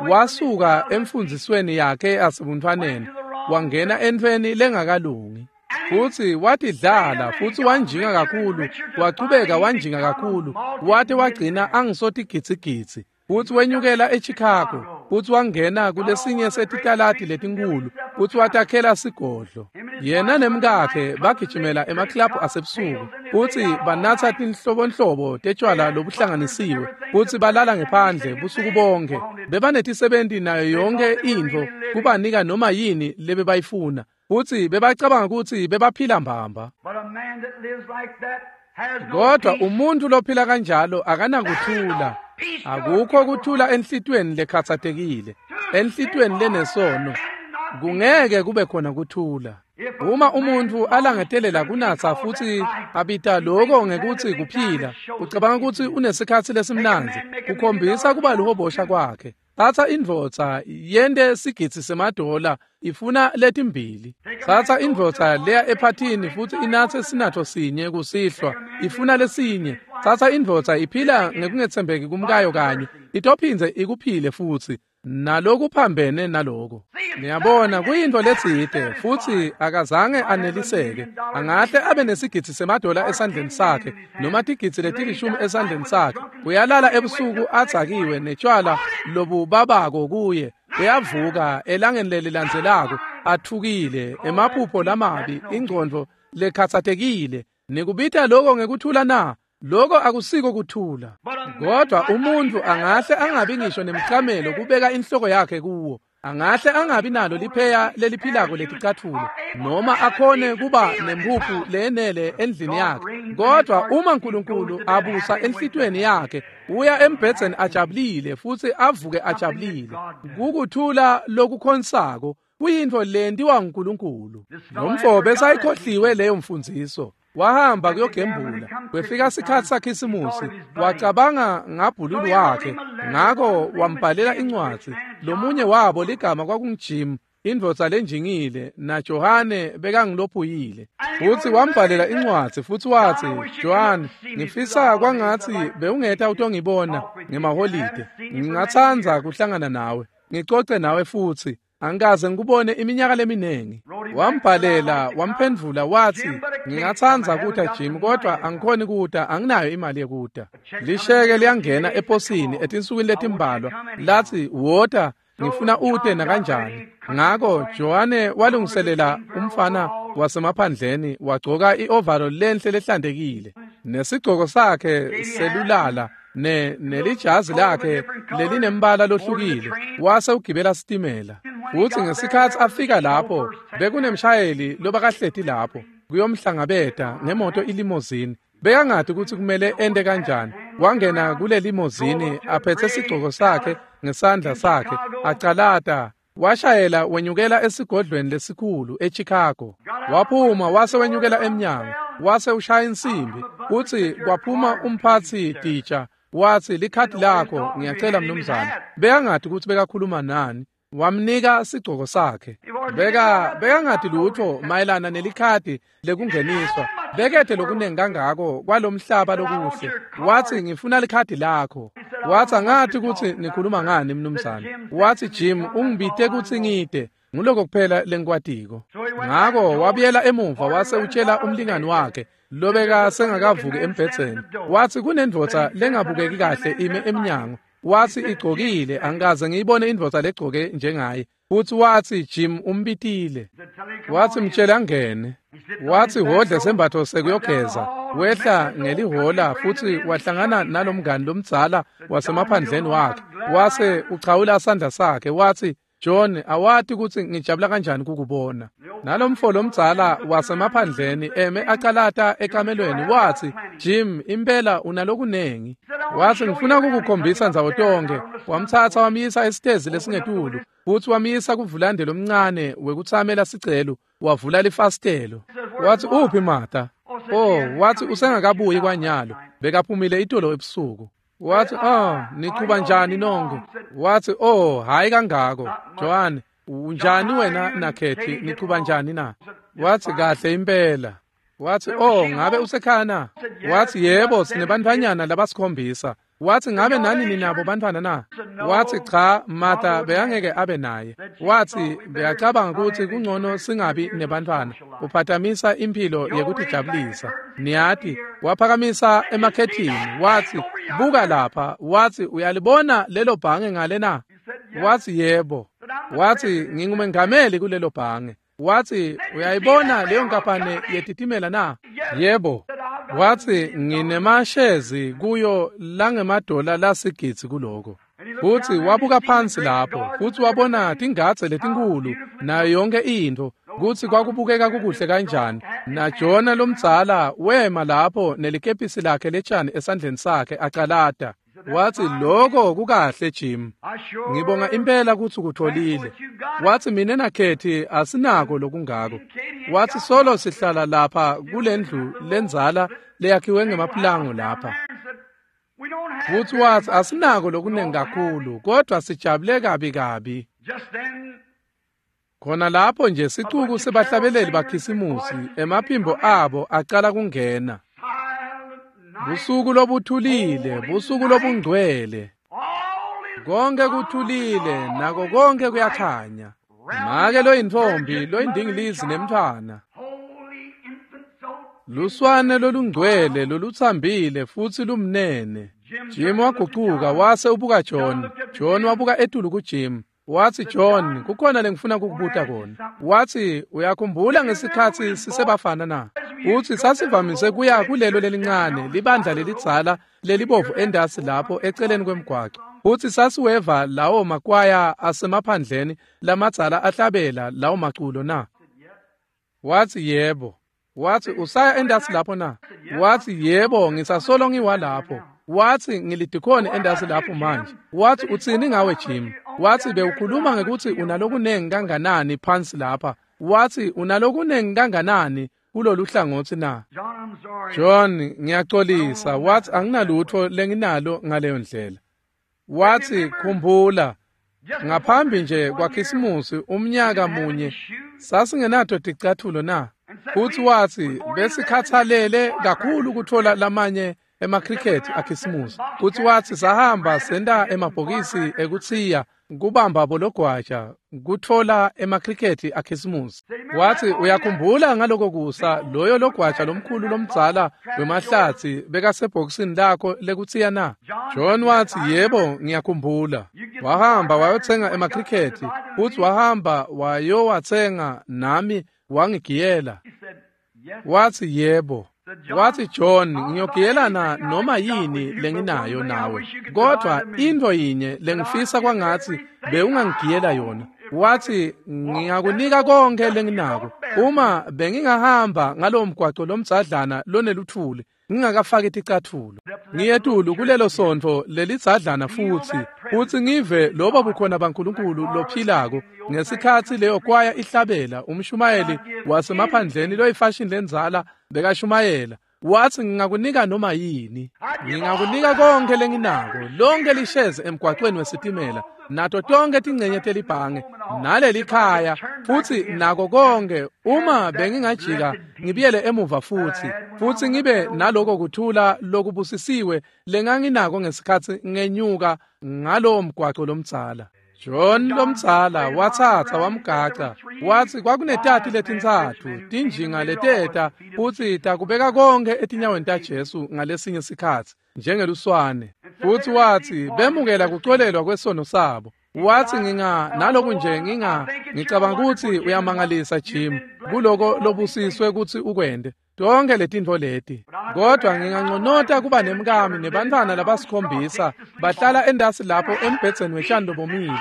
Wasuka emfundzisweni yakhe yasebuntfwaneni wangena entfweni lengakalungi. Futsi watidlala futsi wanjinga kakhulu, wachubeka wanjinga kakhulu, wate wagcina angisotigitsigitsi. Futsi wenyukela eChicago, futsi wangena kulesinye setitaladi letinkulu, futsi watakhela sigodlo. Yena nemkakhe bagijimela emaklabhu asebusuku, futsi banatsa tinhlobonhlobo tetshwala lobuhlanganisiwe, futsi balala ngephandle busuku bonke. Bebanetisebenti nayo yonke intfo kubanika noma yini lebebayifuna, futsi bebacabanga kutsi bebaphila mbamba. Kodwa umuntu lophila kanjalo akanakuthula. Akukho kuthula enhlitiyweni lekhatsatekile, enhlitiyweni lenesono. Kungeke kube khona kuthula. Uma umuntu alangetelela kunatsa futsi abita lokho ngekutsi kuphila, ucabanga kutsi unesikhatsi lesimnandzi, kukhombisa kuba luhobosha kwakhe. Tsatsa indvodza yente sigidzi semadola ifuna letimbili. Tsatsa indvodza leya ephathini futsi inatse sinatfo sinye kusihlwa ifuna lesinye. Tsatsa indvodza iphila ngekungetsembeki kumkayo kanye, itophindze ikuphile futsi nalokuphambene naloko. Niyabona kuyintfo letsite futsi akazange aneliseke. Angahle abe nesigidzi semadola esandleni sakhe noma tigidzi letilishumi esandleni sakhe. Uyalala ebusuku adzakiwe netshwala lobubabako kuye. Uyavuka elangeni lelilandzelako athukile, emaphupho lamabi, ingcondvo lekhatsatekile. Nikubita lokho ngekuthula na? Lokho akusiko kuthula. Kodwa umuntu angahle angabi ngisho nemcamelo kubeka inhloko yakhe kuwo. Angahle angabi nalo lipheya leliphilako leticatfulo noma akhone kuba nempuphu leyenele endlini yakhe. Kodwa uma uNkulunkulu abusa enhlitiyweni yakhe, uya embhedzeni ajabulile futsi avuke ajabulile. Kukuthula lokukhonsako kuyintfo lentiwa nguNkulunkulu. Lomfo besayikhohliwe leyo mfundziso. Wahamba kuyogembula, kwefika sikhatsi saKhisimusi, wacabanga ngabhululu wakhe, ngako wambhalela incwadzi. Lomunye wabo ligama kwakunguJim, indvodza lenjingile, naJohane bekangilophuyile. Futsi wambhalela incwadzi futsi watsi, "Johane, ngifisa kwangatsi bewungeta utongibona ngemaholide. Ngingatsandza kuhlangana nawe, ngicoce nawe futsi. Angikaze ngikubone iminyaka leminingi." Wambhalela wamphendvula watsi, "Ngingatsandza kuta Jim, kodwa angikhoni kuta, anginayo imali yekuta." Lisheke liyangena eposini etinsukwini letimbalwa, latsi, "Wota, ngifuna ute nakanjani." Ngako Johane walungiselela umfana wasemaphandleni, wagcoka i-overall lenhle lehlantekile, nesigcoko sakhe selulala, nelijazi lakhe lelinembala lohlukile, wase ugibela sitimela. Futsi ngesikhatsi afika lapho, bekunemshayeli lobakahleti lapho kuyomhlangabeta ngemoto ilimozini. Bekangati kutsi kumele ente kanjani. Wangena kule limozini aphethe sigcoko sakhe ngesandla sakhe, acalata, washayela wenyukela esigodlweni lesikhulu eChicago. Waphuma wase wenyukela emnyango, wase ushaya insimbi, utsi kwaphuma umphatsi titsha, watsi, "Likhadi lakho, ngiyacela mnumzane." Bekangati kutsi bekakhuluma nani. Wamnika sigcoko sakhe. Bekangati lutfo mayelana nelikhadi lekungeniswa. Bekete lokunengi kangako kwalomhlaba lokuhle. Watsi, "Ngifuna likhadi lakho." Watsi, "Angati kutsi nikhuluma ngani mnumzane." Watsi, "Jim ungibite kutsi ngite. Nguloko kuphela lengikwatiko." Ngako wabuyela emuva wase utshela umlingani wakhe lobeka sengakavuki embhedzeni. Watsi, "Kunendvodza lengabukeki kahle ime emnyango." Watsi, "Igcokile, angikaze ngiyibone indvodza legcoke njengaye." Futsi watsi, "Jim umbitile." Watsi, "Mtshele angene." Watsi, "Hodle sembatfo sekuyogeza." Wehla ngelihola futsi wahlangana nalomngani lomdzala wasemaphandleni wakhe. Wase uchawula sandla sakhe watsi, "John, awati kutsi ngijabula kanjani kukubona." Nalomfo lomdzala wasemaphandleni eme acalata ekamelweni watsi, "Jim, impela unalokunengi." Watsi, "Ngifuna kukukhombisa ndzawo tonkhe." Wamtsatsa wamyisa esitezi lesingetulu, futsi wamyisa kuvulande lomncane wekutsamela sicelo, wavula lifasitelo. Watsi, "Uphi Martha?" "Oh," watsi, "usengakabuyi kwanyalo, bekaphumile itolo ebusuku." Watsi, "Oh, nichuba njani nonke?" Watsi, "Oh, hayi kangako. Joan, unjani wena naKhethi, nichuba njani na?" Watsi, "Kahle impela." Watsi, "Oh, ngabe usekhaya na?" Watsi, "Yebo, sinebantfwanyana labasikhombisa." Watsi, ngabe nani ninabo bantfwana na? Watsi, cha, Martha bekangeke abe naye. Watsi, beyacabanga kutsi kungcono singabi nebantfwana, uphatamisa imphilo yekutijabulisa. Niyati, waphakamisa emakhethini, watsi, buka lapha, watsi, uyalibona lelo bhange ngale na? Watsi, yebo. Watsi, ngingumengameli kulelo bhange. Watsi, uyayibona leyo nkampane yetitimela na? Yebo. Watsi, nginemashezi kuyo langemadola lasigidzi kuloko. Futsi wabuka phansi lapho, futsi wabona tingadze letinkulu nayo yonke intfo, kutsi kwakubukeka kukuhle kanjani. NaJona lomdzala wema lapho nelikepisi lakhe letshani esandleni sakhe acalata. Watsi, lokho kukahle Jim. Ngibonga impela kutsi ukutholile. Watsi, mina naKhethi asinako lokungako. Watsi, solo sihlala lapha kulendlu lendzala leyakhiwe ngemapulango lapha. Futsi watsi, asinako lokunengi kakhulu, kodwa sijabule kabi kabi. Khona lapho nje sicuku sebahlabeleli bakhisimusi, emaphimbo abo acala kungena. Busuku lobuthulile, busuku lobungcwele. Konke kuthulile, nako konke kuyakhanya. Make loyintfombi, loyindingilizi nemntfwana. Luswane lolungcwele lolutsambile futsi lumnene. Jim wagucuka wase ubuka John. John wabuka etulu kuJim. Watsi, John, kukhona lengifuna kukubuta kona. Watsi, uyakhumbula ngesikhatsi sisebafana na? Utsi sasivamise kuya kulelo lelincane libandla lelidzala lelibovu endasi lapho eceleni kwemgwaco. Utsi sasiweva lawo makwaya asemaphandleni lamadzala ahlabela lawo maculo na? Watsi, yebo. Watsi, usaya endasi lapho na? Watsi, yebo, ngisasolo ngiwalapho. Watsi, ngilidikhoni endasi lapho manje. Watsi, utsini ngawe Jim? Watsi, bewukhuluma ngekuthi unalokunengi kanganani phansi lapha. Watsi, unalokunengi kanganani kulolu hlangotsi na? John, ngiyaxolisa. Watsi, anginalutho lenginalo ngaleyo ndlela. Watsi, khumbula, ngaphambi nje kwaKhisimusi umnyaka munye sasingenato ticathulo na? Futsi watsi, besikhathalele kakhulu kuthola lamanye emakrikhethi aKhisimusi. Futsi watsi, sahamba senta emabhokisi ekutsiya kubamba bologwaja kutfola emakrikhethi aKhisimusi. Watsi, uyakhumbula ngaloko kusa loyo logwaja lomkhulu lomdzala wemahlatsi bekasebhokisini lakho lekutsiya na? John watsi, yebo, ngiyakhumbula. Wahamba wayotsenga emakrikhethi, futsi wahamba wayowatsenga nami wangigiyela. Watsi, yebo. Watsi, John, ngiyogiyelana noma yini lenginayo nawe, kodwa intfo yinye lengifisa kwangatsi bewungangigiyela yona. Watsi, ngingakunika konke lenginako uma bengingahamba ngalowo mgwaco lomdzadlana loneluthuli ngingakafaki ticathulo, ngiyetulu kulelo sontfo lelidzadlana futsi ngive lobo bukhona baNkulunkulu lophilako ngesikhatsi leyo kwaya ihlabela umshumayeli wasemaphandleni loyifashini lendzala bekashumayela. Watsi, ngingakunika noma yini, ngingakunika konke lenginako, lonke lishezi emgwacweni wesitimela, nato tonke tingcenye telibhange nalelikhaya, futsi nako konke, uma bengingajika ngibuyele emuva futsi ngibe naloko kuthula lokubusisiwe lenganginako ngesikhatsi ngenyuka ngalowo mgwaco lomdzala. John lomdzala watsatsa wamgaca. Watsi kwakunetati letintsatfu tinjinga leteta futsi takubeka konke etinyaweni taJesu ngalesinye sikhatsi njengeluswane. Futsi watsi bemukela kucolelwa kwesono sabo. Watsi, naloku nje ngicabanga kutsi uyamangalisa Jim kuloko lobusiswe kutsi ukwente tonke letintfo leti, kodwa nginganconota kuba nemkami nebantfwana labasikhombisa bahlala endasi lapho embhedzeni wetshani lobomile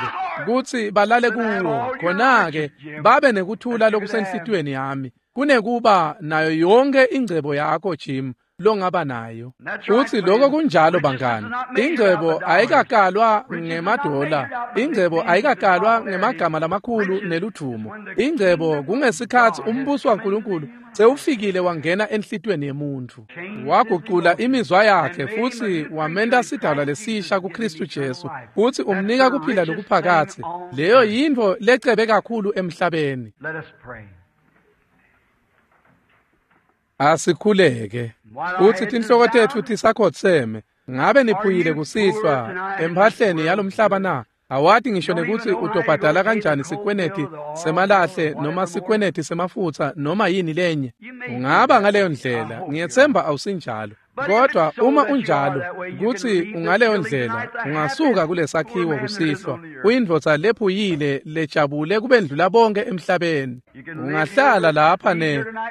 kutsi balale kuwo, khona-ke babe nekuthula lokusenhlitiyweni yami kunekuba nayo yonke ingcebo yakho Jim longaba nayo. Futsi lokho kunjalo bangani. Ingcebo ayikakalwa ngemadola, ingcebo ayikakalwa ngemagama lamakhulu neludvumo. Ingcebo kungesikhatsi umbuso waNkulunkulu sewufikile wangena enhlitiyweni yemuntfu, wagucula imizwa yakhe futsi wamenta sidalwa lesisha kuKristu Jesu, futsi umnika kuphila lokuphakatsi. Leyo yintfo lecebe kakhulu emhlabeni. Asikhuleke. Futsi tinhloko tetfu tisakhotseme. Ngabe niphuyile kusihlwa emphahleni yalomhlaba na? Awati ngisho nekutsi utobhadala kanjani sikweneti semalahle noma sikweneti semafutsa noma yini lenye. Ungaba ngaleyo ndlela, ngiyetsemba awusinjalo. Kodwa uma unjalo, kutsi ungaleyo ndlela, ungasuka kulesakhiwo kusihlwa, uyindvodza lephuyile lejabule kubendlula bonke emhlabeni. Ungahlala lapha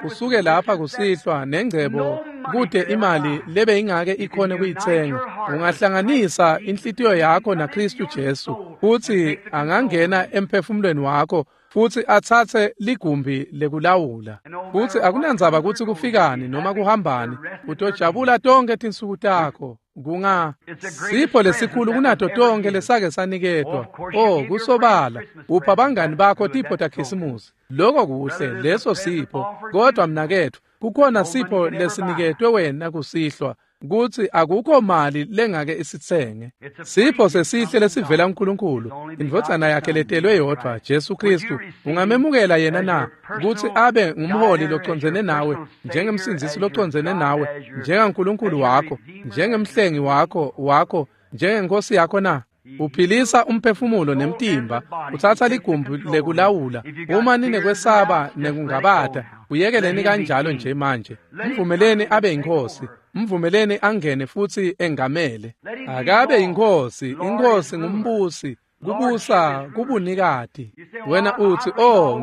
usuke lapha kusihlwa nengcebo kute imali lebe ingake ikhone kuyitsenga. Ungahlanganisa inhlitiyo yakho naKristu Jesu, futsi angangena emphefumulweni wakho futsi atsatse ligumbi lekulawula. Futsi akunandzaba kutsi kufikani noma kuhambani, utojabula tonke tinsuku takho. Kunga sipho lesikhulu kunato tonke lesake saniketwa. Oh, kusobala upha bangani bakho tipho taKhisimusi. Lokho kuhle, leso sipho. Kodwa mnaketfu, kukhona sipho lesiniketwe wena kusihlwa, kutsi akukho mali lengake isitsenge. Sipho sesihle lesivela kuNkulunkulu, indvodzana yakhe letelwe yodvwa, Jesu Kristu. Ungamemukela yena na kutsi abe ngumholi locondzene nawe, njengemsindzisi locondzene nawe, njengaNkulunkulu wakho, njengemhlengi wakho, njengenkosi yakho na? Uphilisa umphefumulo nemtimba, utsatsa ligumbi lekulawula. Uma ninekwesaba nekungabata, uyekeleni kanjalo nje manje. Mvumeleni abe inkosi, mvumeleni angene futsi engamele. Akabe inkosi, inkosi ngumbusi, kubusa kubunikati. Wena utsi, oh,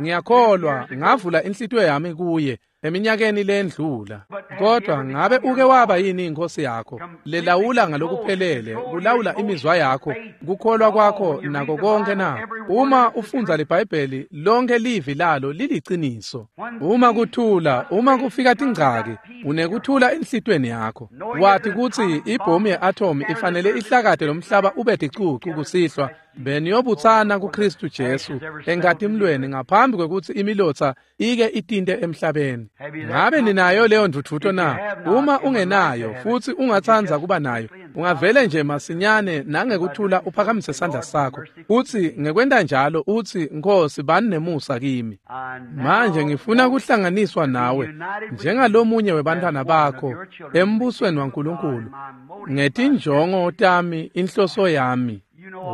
ngiyakholwa, ngavula inhlitiyo yami kuye eminyakeni lendlula. Kodwa ngabe uke waba yini inkosi yakho lelawula ngalokuphelele, kulawula imizwa yakho, kukholwa kwakho nako konke na? Uma ufundza liBhayibheli, lonke livi lalo liliciniso. Uma kuthula, uma kufika tingcaki, unekuthula enhlitiyweni yakho. Wathi kutsi ibhomu ye-atom ifanele ihlakate lomhlaba ube ticucu kusihlwa, beniyobutsana kuKristu Jesu enkatimlweni ngaphambi kwekutsi imilotsa ike itinte emhlabeni. Ngabe ninayo leyo ndvudvuto na? Uma ungenayo futsi ungatsandza kuba nayo, ungavele nje masinyane nangekuthula uphakamise sandla sakho, utsi ngekwenta njalo utsi, Nkosi, bani nemusa kimi. Manje ngifuna kuhlanganiswa nawe njengalomunye webantwana bakho embusweni waNkulunkulu, ngetinjongo tami, inhloso yami.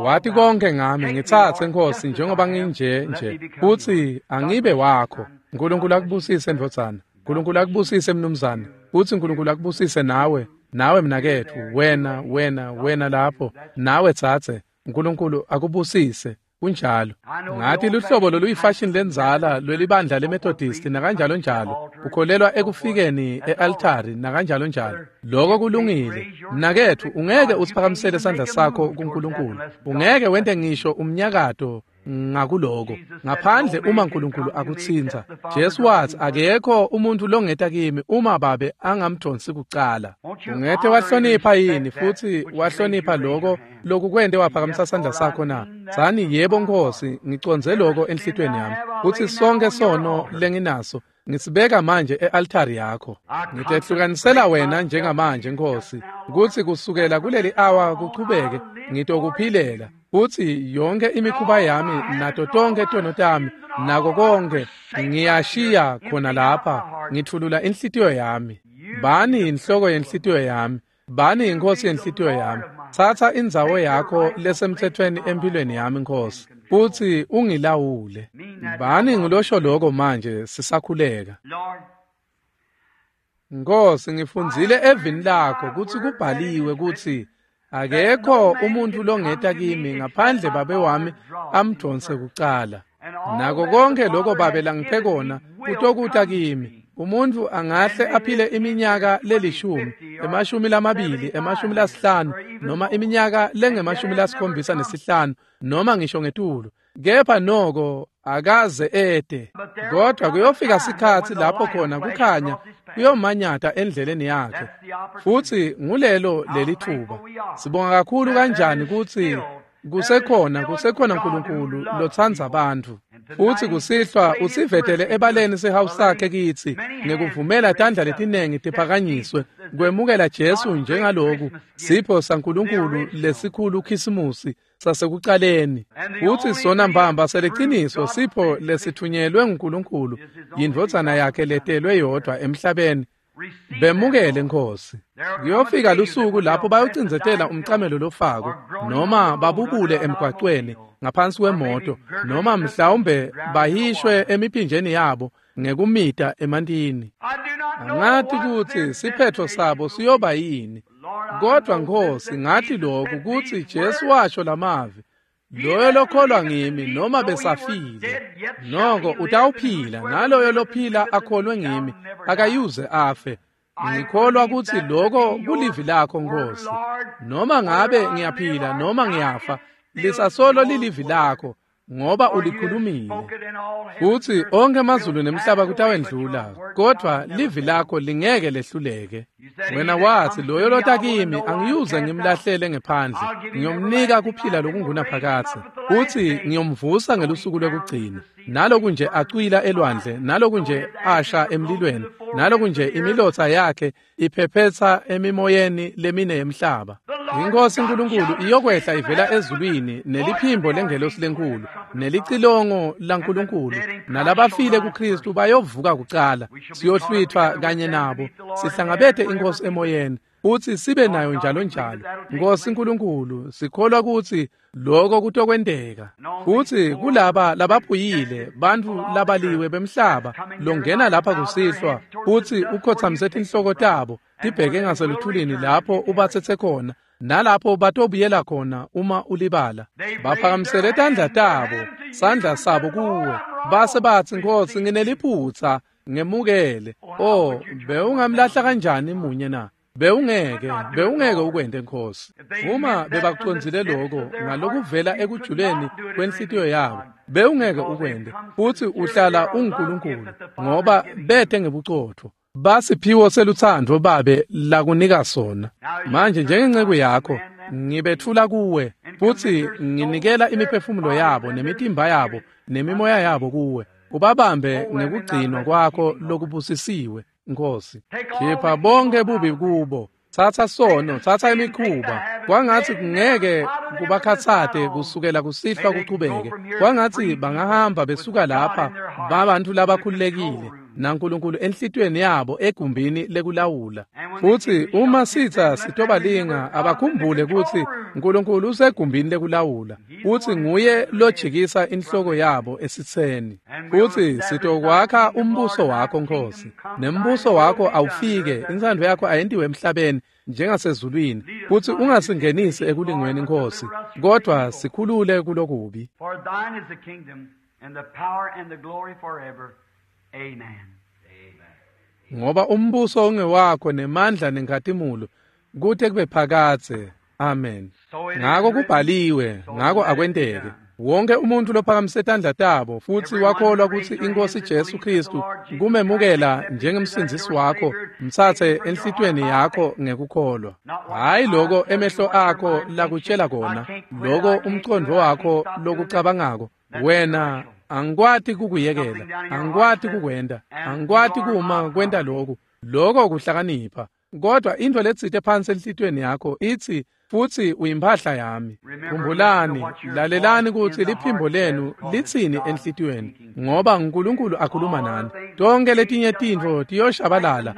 Wathi konke ngami, ngitsatse Nkosi njengoba nginje nje, futsi angibe wakho. Nkulunkulu akubusise ndvodzana, Nkulunkulu akubusise mnumzane, futsi Nkulunkulu akubusise nawe, nawe mnaketfu, wena, wena, wena lapho, nawe tsatse. Nkulunkulu akubusise. Kunjalo. Ngathi luhlobo loluyifashion lenzala lwelibandla leMethodist nakanjalo njalo, ukholelwa ekufikeni e-altari nakanjalo njalo. Lokho kulungile. Mnaketfu, ungeke usiphakamisele sandla sakho kuNkulunkulu. Ungeke wente ngisho umnyakato ngakuloko ngaphandle uma uNkulunkulu akutsintsa. Jesu wathi akekho umuntu longeta kimi uma babe angamdonsi kucala. Ungete wahlonipha yini futhi wahlonipha lokho lokukwente waphakamisa sandla sakho na? Tsani, yebo Nkosi, ngicondze lokho enhlitiyweni yami, kutsi sonke sono lenginaso ngisibeka manje e-altari yakho. Ngitehlukanisela wena njengamanje Nkosi, kutsi kusukela kuleli awa kuchubeke ngitokuphilela, futsi yonke imikhuba yami nato tonke tono tami nako konke ngiyashiya khona lapha, ngithulula inhlitiyo yami. Bani inhloko yenhlitiyo yami, bani inkosi yenhlitiyo yami. Tsatsa indzawo yakho lesemthethweni empilweni yami Nkosi, futsi ungilawule. Bani ngilosho lokho manje sisakhuleka. Nkosi, ngifundzile evini lakho kutsi kubhaliwe kutsi akekho umuntu longeta kimi ngaphandle babe wami amdonse kucala. Nako konke lokho babe langiphe kona kutokuta kimi. Umuntu angahle aphile iminyaka lelishumi, 20, 50, noma iminyaka lengema-75 noma ngisho ngetulu, kepha noko akaze ede. Kodwa kuyofika sikhatsi lapho khona kukhanya kuyomanyata endleleni yakhe, futsi ngulelo lelithuba. Sibonga kakhulu kanjani kutsi kusekhona uNkulunkulu lotsandza bantfu, futsi kusihlwa usivetele ebaleni sihawu sakhe kitsi ngekuvumela tandla letinengi tiphakanyiswe kwemukela Jesu njengaloku sipho saNkulunkulu lesikhulu Khisimusi sasekucaleni. Futsi sona mbamba seliciniso sipho lesithunyelwe nguNkulunkulu, yindvodzana yakhe letelwe yodvwa emhlabeni. Bemukele Nkosi. Kuyofika lusuku lapho bayocindzetela umcamelo lofako noma babubule emgwacweni ngaphansi kwemoto noma mhlawumbe bahishwe emiphinjeni yabo ngekumita emantini. Angathi kutsi siphetho sabo siyoba yini. Kodwa Nkosi ngathi lokhu kutsi Jesu washo lamavi, loyo lokholwa ngimi noma besafile noko utawuphila, naloyo lophila akholwe ngimi akayuze afe. Ngikholwa kutsi lokho kulivi lakho Nkosi. Noma ngabe ngiyaphila noma ngiyafa, lisasolo lilivi lakho ngoba ulikhulumile. Futhi onke amazulu nemhlaba kutawendlula, kodwa livi lakho lingeke lehluleke. Wena wathi loyo lota kimi angiyuze ngimlahlele ngephandle, ngiyomnika kuphila lokungunaphakadze, futhi ngiyomvusa ngelusuku lwekugcina. Naloku nje acwila elwandle, naloku nje asha emlilweni, naloku nje imilotsa yakhe iphephetsa emimoyeni lemine yemhlaba. Inkosi uNkulunkulu iyokwehla ivela ezulwini neliphimbo lengelosi lenkulu nelicilongo laNkulunkulu, nalabafile kuKristu bayovuka kucala. Siyohlwithwa kanye nabo, sihlangabete inkosi emoyeni, futhi sibe nayo njalo njalo. Nkosi uNkulunkulu, sikholwa kutsi lokho kutokwenteka. Futhi kulaba labaphuyile, bantfu labaliwe bemhlaba longena lapha kusihlwa futhi ukhothamise tinhloko tabo tibheke ngaseluthulini lapho ubatsetse khona nalapho batobuyela khona uma ulibala. Baphakamisele tandla tabo, sandla sabo kuwe, base batsi Nkosi ngineliphutsa, ngemukele. Oh, bewungamlahla kanjani munye na? Bewungeke ukwente Nkosi. Uma bebakucondzile lokho ngalokuvela ekujuleni kwenhlitiyo yabo, bewungeke ukwente. Futhi uhlala unguNkulunkulu ngoba bete ngebucotho. Basiphiwo selutsandvo babe lakunika sona. Manje njengenceku yakho ngibethula kuwe, futhi nginikela imiphefumulo yabo nemitimba yabo nemimoya yabo kuwe. Ubabambe ngekugcinwa kwakho lokubusisiwe Nkosi. Khipha bonke bubi kubo. Tsatsa sono, tsatsa imikhuba. Kwangatsi kungeke kubakhatsate kusukela kusihlwa kuchubeke. Kwangatsi bangahamba besuka lapha babantu labakhululekile naNkulunkulu enhlitiyweni yabo egumbini lekulawula. Futhi uma sitha sitobalinga abakhumbule kutsi uNkulunkulu usegumbini lekulawula, futhi nguye lojikisa inhloko yabo esitseni. Futhi sitokwakha umbuso wakho Nkosi, nembuso wakho awufike, intsandvo yakho ayentiwe emhlabeni njengasezulwini. Futhi ungasingenisi ekulingweni Nkosi, kodwa sikhulule kulokubi. For thine is the kingdom and the power and the glory forever. Amen. Ngoba umbuso ungewakho nemandla nenkhatimulo kute kube phakadze. Amen. Ngako kubhaliwe, ngako akwenteke. Wonke umuntu lophakamise tandla tabo futhi wakholwa kutsi inkosi Jesu Kristu kumemukela njengemsindzisi wakho, mtsatse enhlitiyweni yakho ngekukholwa. Hayi lokho emehlo akho lakutshela kona, lokho umcondvo wakho lokucabangako. Wena angikwati kukuyekela, angikwati kukwenta, angikwati kuma kwenta lokhu. Lokho kuhlakanipha. Kodwa into letsite phansi enhlitiyweni yakho ithi futhi uyimphahla yami. Khumbulani, lalelani kutsi liphimbo lenu litsini enhlitiyweni, ngoba uNkulunkulu akhuluma nani. Tonke letinye tintfo tiyoshabalala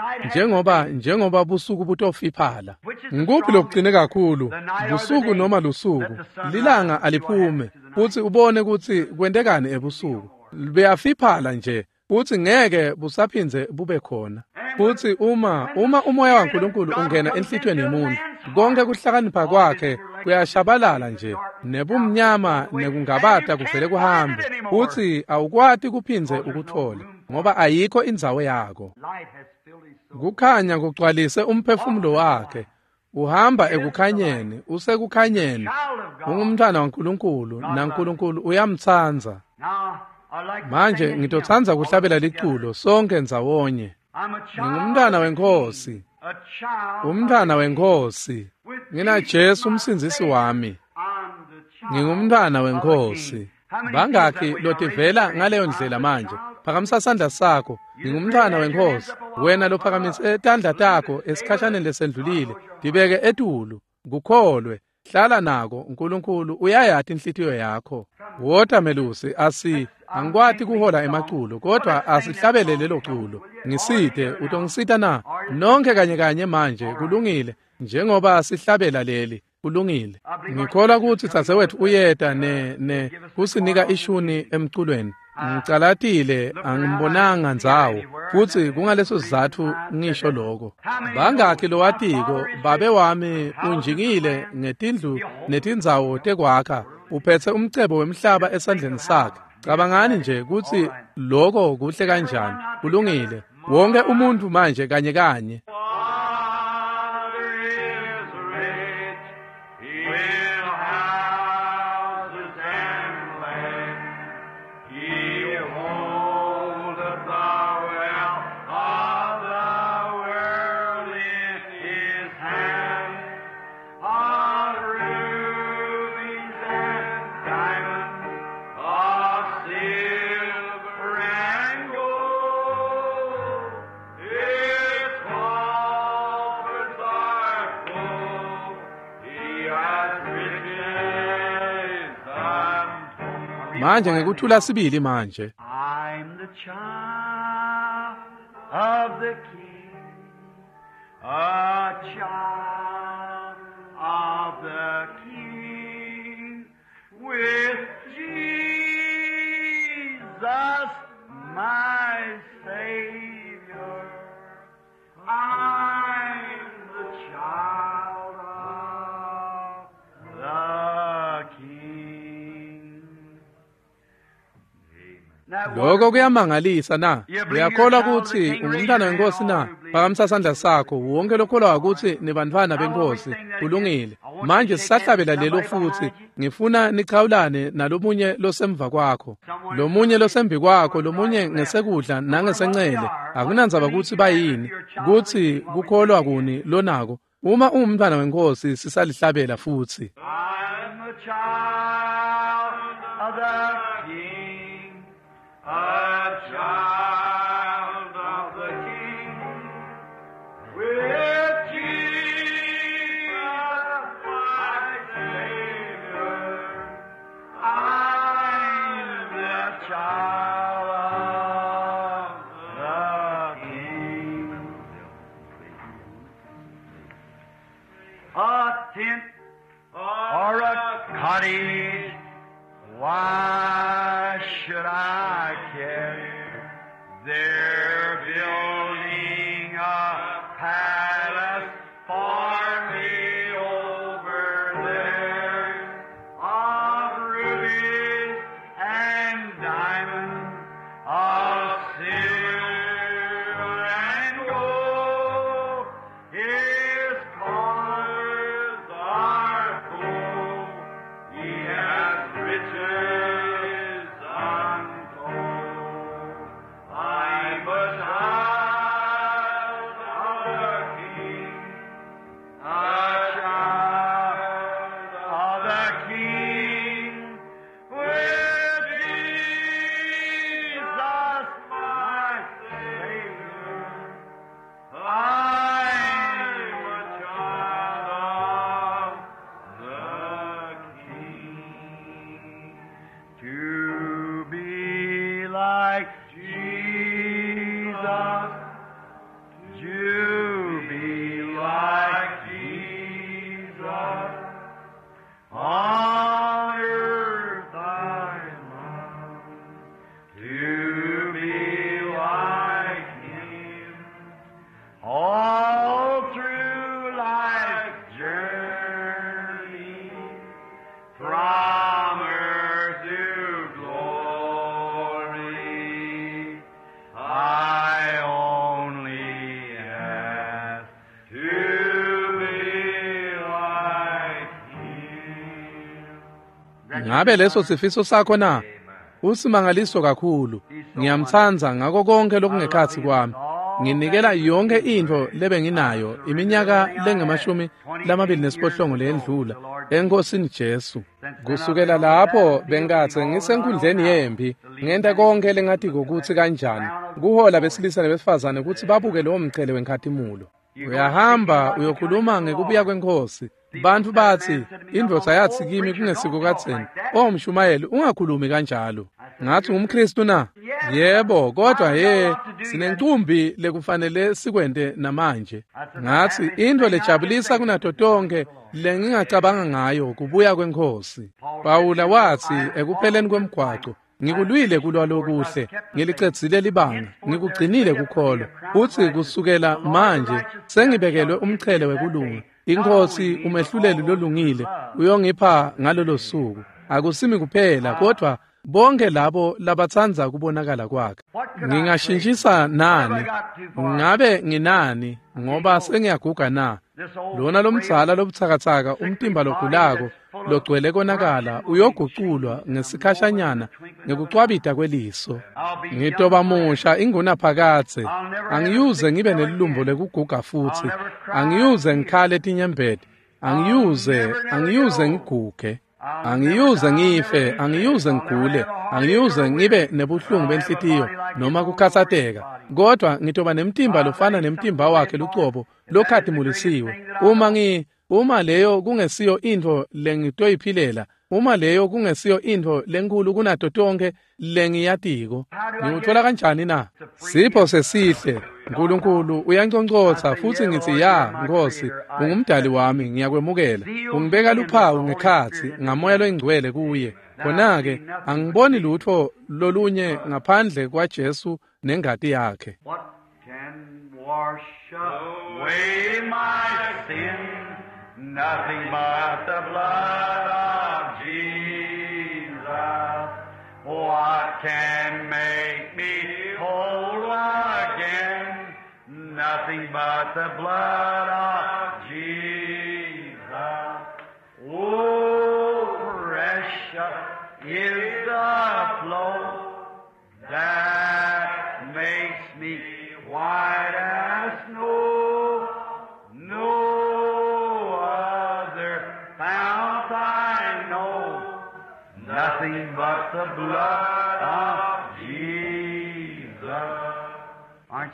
njengoba busuku butofiphala. Ngikuphi lokucine kakhulu, busuku noma lusuku? Lilanga aliphume futhi ubone kutsi kwentekani ebusuku. Buyafiphala nje futhi ngeke busaphindze bube khona. Futhi uma umoya waNkulunkulu ungena enhlitiyweni yemuntu, konke kuhlakanipha kwakhe kuyashabalala nje, nebumnyama nekungabata kuvele kuhambe, futhi awukwati kuphindze ukuthole ngoba ayikho indzawo yakho. Kukhanya kugcwalise umphefumulo wakhe. Uhamba ekukhanyeni, usekukhanyeni. Ungumntwana waNkulunkulu, naNkulunkulu uyamtsandza. Manje ngitotsandza kuhlabela liculo sonke ndzawonye. Ngingumntwana wenkosi, umntwana wenkosi. Ngina Jesu umsindzisi wami. Ngingumntwana wenkosi. Bangakhi lotivela ngaleyo ndlela manje? Phakamisa sandla sakho. Ngingumntwana wenkosi. Wena lophakamise tandla takho esikhashaneni lesendlulile, tibeke etulu, kukholwe. Hlala nako, uNkulunkulu uyayati inhlitiyo yakho. Wota melusi, Angikwati kuhola emaculo, kodwa asihlabele lelo culo. Ngisite, utongisita na? Nonke kanye kanye manje, kulungile, njengoba sihlabela leli. Kulungile. Ngikholwa ukuthi dzadzewetfu uyeta ne kusinika ishuni emculweni. Ngicalatile angimbonanga ndzawo, futsi kungaleso sizatfu ngisho lokho. Bangakhi lowatiko, babe wami unjingile ngetindlu netindzawo tekwakha, uphetse umcebo wemhlaba esandleni sakhe. Cabangani nje kutsi lokho kuhle kanjani. Kulungile. Wonke umuntu manje kanye kanye. Manje ngekuthula sibili manje. I'm the child of the King, a child of the King, with Jesus my Savior. I'm the child of the King. Lokho kuyamangalisa na? Uyakholwa ukuthi ungumntwana wenkosi na? Phakamisa sandla sakho. Wonke lokholwa ukuthi nibantwana benkosi. Kulungile. Manje sisahlabela lelo futhi ngifuna nichawulane nalomunye losemva kwakho, lomunye losembi kwakho, lomunye ngesekudla nangesencele. Akunandzaba ukuthi bayini, kuthi kukholwa kuni lonako. Uma ungumntwana wenkosi sisalihlabela futhi. I'm a child of the King, a child of the King, with Jesus my Savior. I'm the child of the King. A tent or a cottage, why should I care? They're building a palace for me over there, of rubies and diamonds, of silver and gold. His coffers are full. He has riches untold. I'm a child of the King, a child of the King, with Jesus my Savior. I'm a child of the King. To be like Jesus, to be like Jesus, on earth I long to be like Him. All through life's journey, from earth to glory, I only ask to be like Him. Ngabe leso sifiso sakho na? Usimangaliso kakhulu. Ngiyamtsandza ngako konke lokungekhatsi kwami. Nginikela yonke intfo lebenginayo iminyaka lengamashumi 28 leyendlula eNkosini Jesu. Kusukela lapho bengatse ngisenkundleni yempi, ngenta konke lengatiko kutsi kanjani kuhola besilisa nebesifazane kutsi babuke lowo mchele wenkhatimulo. Uyahamba uyokhuluma ngekubuya kwenkosi. Bantfu batsi, indvodza yatsi kimi kungesiko kadzeni, "Oh mshumayeli, ungakhulumi kanjalo." Ngathi ngumKristu na? Yebo, kodwa ye sinencumbi lekufanele sikwente namanje. Ngathi into lejabulisa kunato tonke lengingacabanga ngayo kubuya kweNkhosi. Pawula wathi ekupheleni kwemgwaco, ngikulwile kulwa lokuhle, ngilicedzile libanga, ngikugcinile kukholwa. Uthi kusukela manje sengibekelwe umchele wekulunga. Inkosi umehluleli lolungile uyongipha ngalolo suku. Akusimi kuphela kodwa bonke labo labatsandza kubonakala kwakhe. Ngingashintshisa nani? Ngabe nginani ngoba sengiyaguga na? Lona lomdzala lobutsakatsaka umtimba logulako logcwele konakala uyoguculwa ngesikhashanyana ngekucwabita kweliso. Ngitoba musha ingunaphakadze. Angiyuze ngibe nelilumbo lekuguga futhi. Angiyuze ngikhale tinyembeti. Angiyuze ngiguge. Angiyuze ngife, angiyuze ngigule, angiyuze ngibe nebuhlungu benhlitiyo noma kukhatsateka. Kodwa ngitoba nemtimba lofana nemtimba wakhe lucobo lokhatimulisiwe. Uma leyo kungesiyo intfo lengitoyiphilela, uma leyo kungesiyo intfo lenkulu kunato tonke lengiyatiko, ngiwuthola kanjani na? Sipho sesihle. Nkulunkulu uyanconcotsa futhi ngithi ya Nkosi, ungumdali wami, ngiyakwemukela. Ungibeka luphawu ngekhatsi ngamoya loyingcwele kuye. Khona-ke angiboni lutho lolunye ngaphandle kwaJesu nengati yakhe. What can wash away my sin? Nothing but the blood of Jesus. What can make me whole again? Nothing but the blood of Jesus. Oh, precious is the flow that makes me white as snow. No other fount I know, nothing but the blood of Jesus.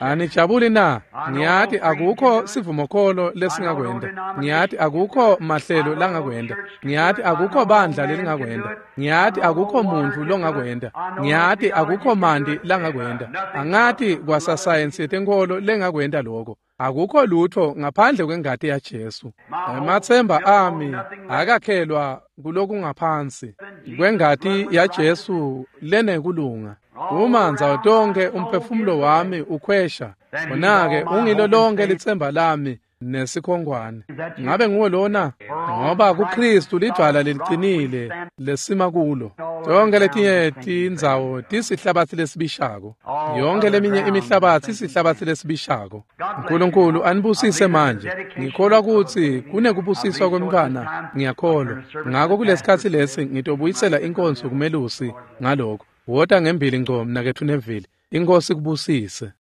Anijabuli na? Ngiyati akukho sivumokholo lesingakwenda. Ngiyati akukho mahlelo langakwenda. Ngiyati akukho bandla lelingakwenda. Ngiyati akukho muntu longakwenda. Ngiyati akukho mandi langakwenda. Angati kwasasayensi yetenkholo lengakwenda lokho. Akukho lutho ngaphandle kwengati yaJesu. Ematsemba ami akakhelwa kulokungaphansi kwengati yaJesu lenekulunga. Uma ndzawo tonke umphefumulo wami ukhwesha, khona-ke ungilo lonke litsemba lami nesikhongwane. Ngabe nguwe lona? Ngoba kuKristu lidwala leliqinile lesima kulo. Tonke letinye tindzawo tisihlabatsi lesibishako. Yonke leminye imihlabatsi isihlabatsi lesibishako. Nkulunkulu anibusise manje. Ngikholwa kutsi kunekubusiswa kwemntfwana, ngiyakholwa. Ngako kulesikhatsi lesi ngitobuyisela inkonzo kumelusi ngaloko. Wota ngembili ngco mnaketfu Neville. Inkosi kubusise.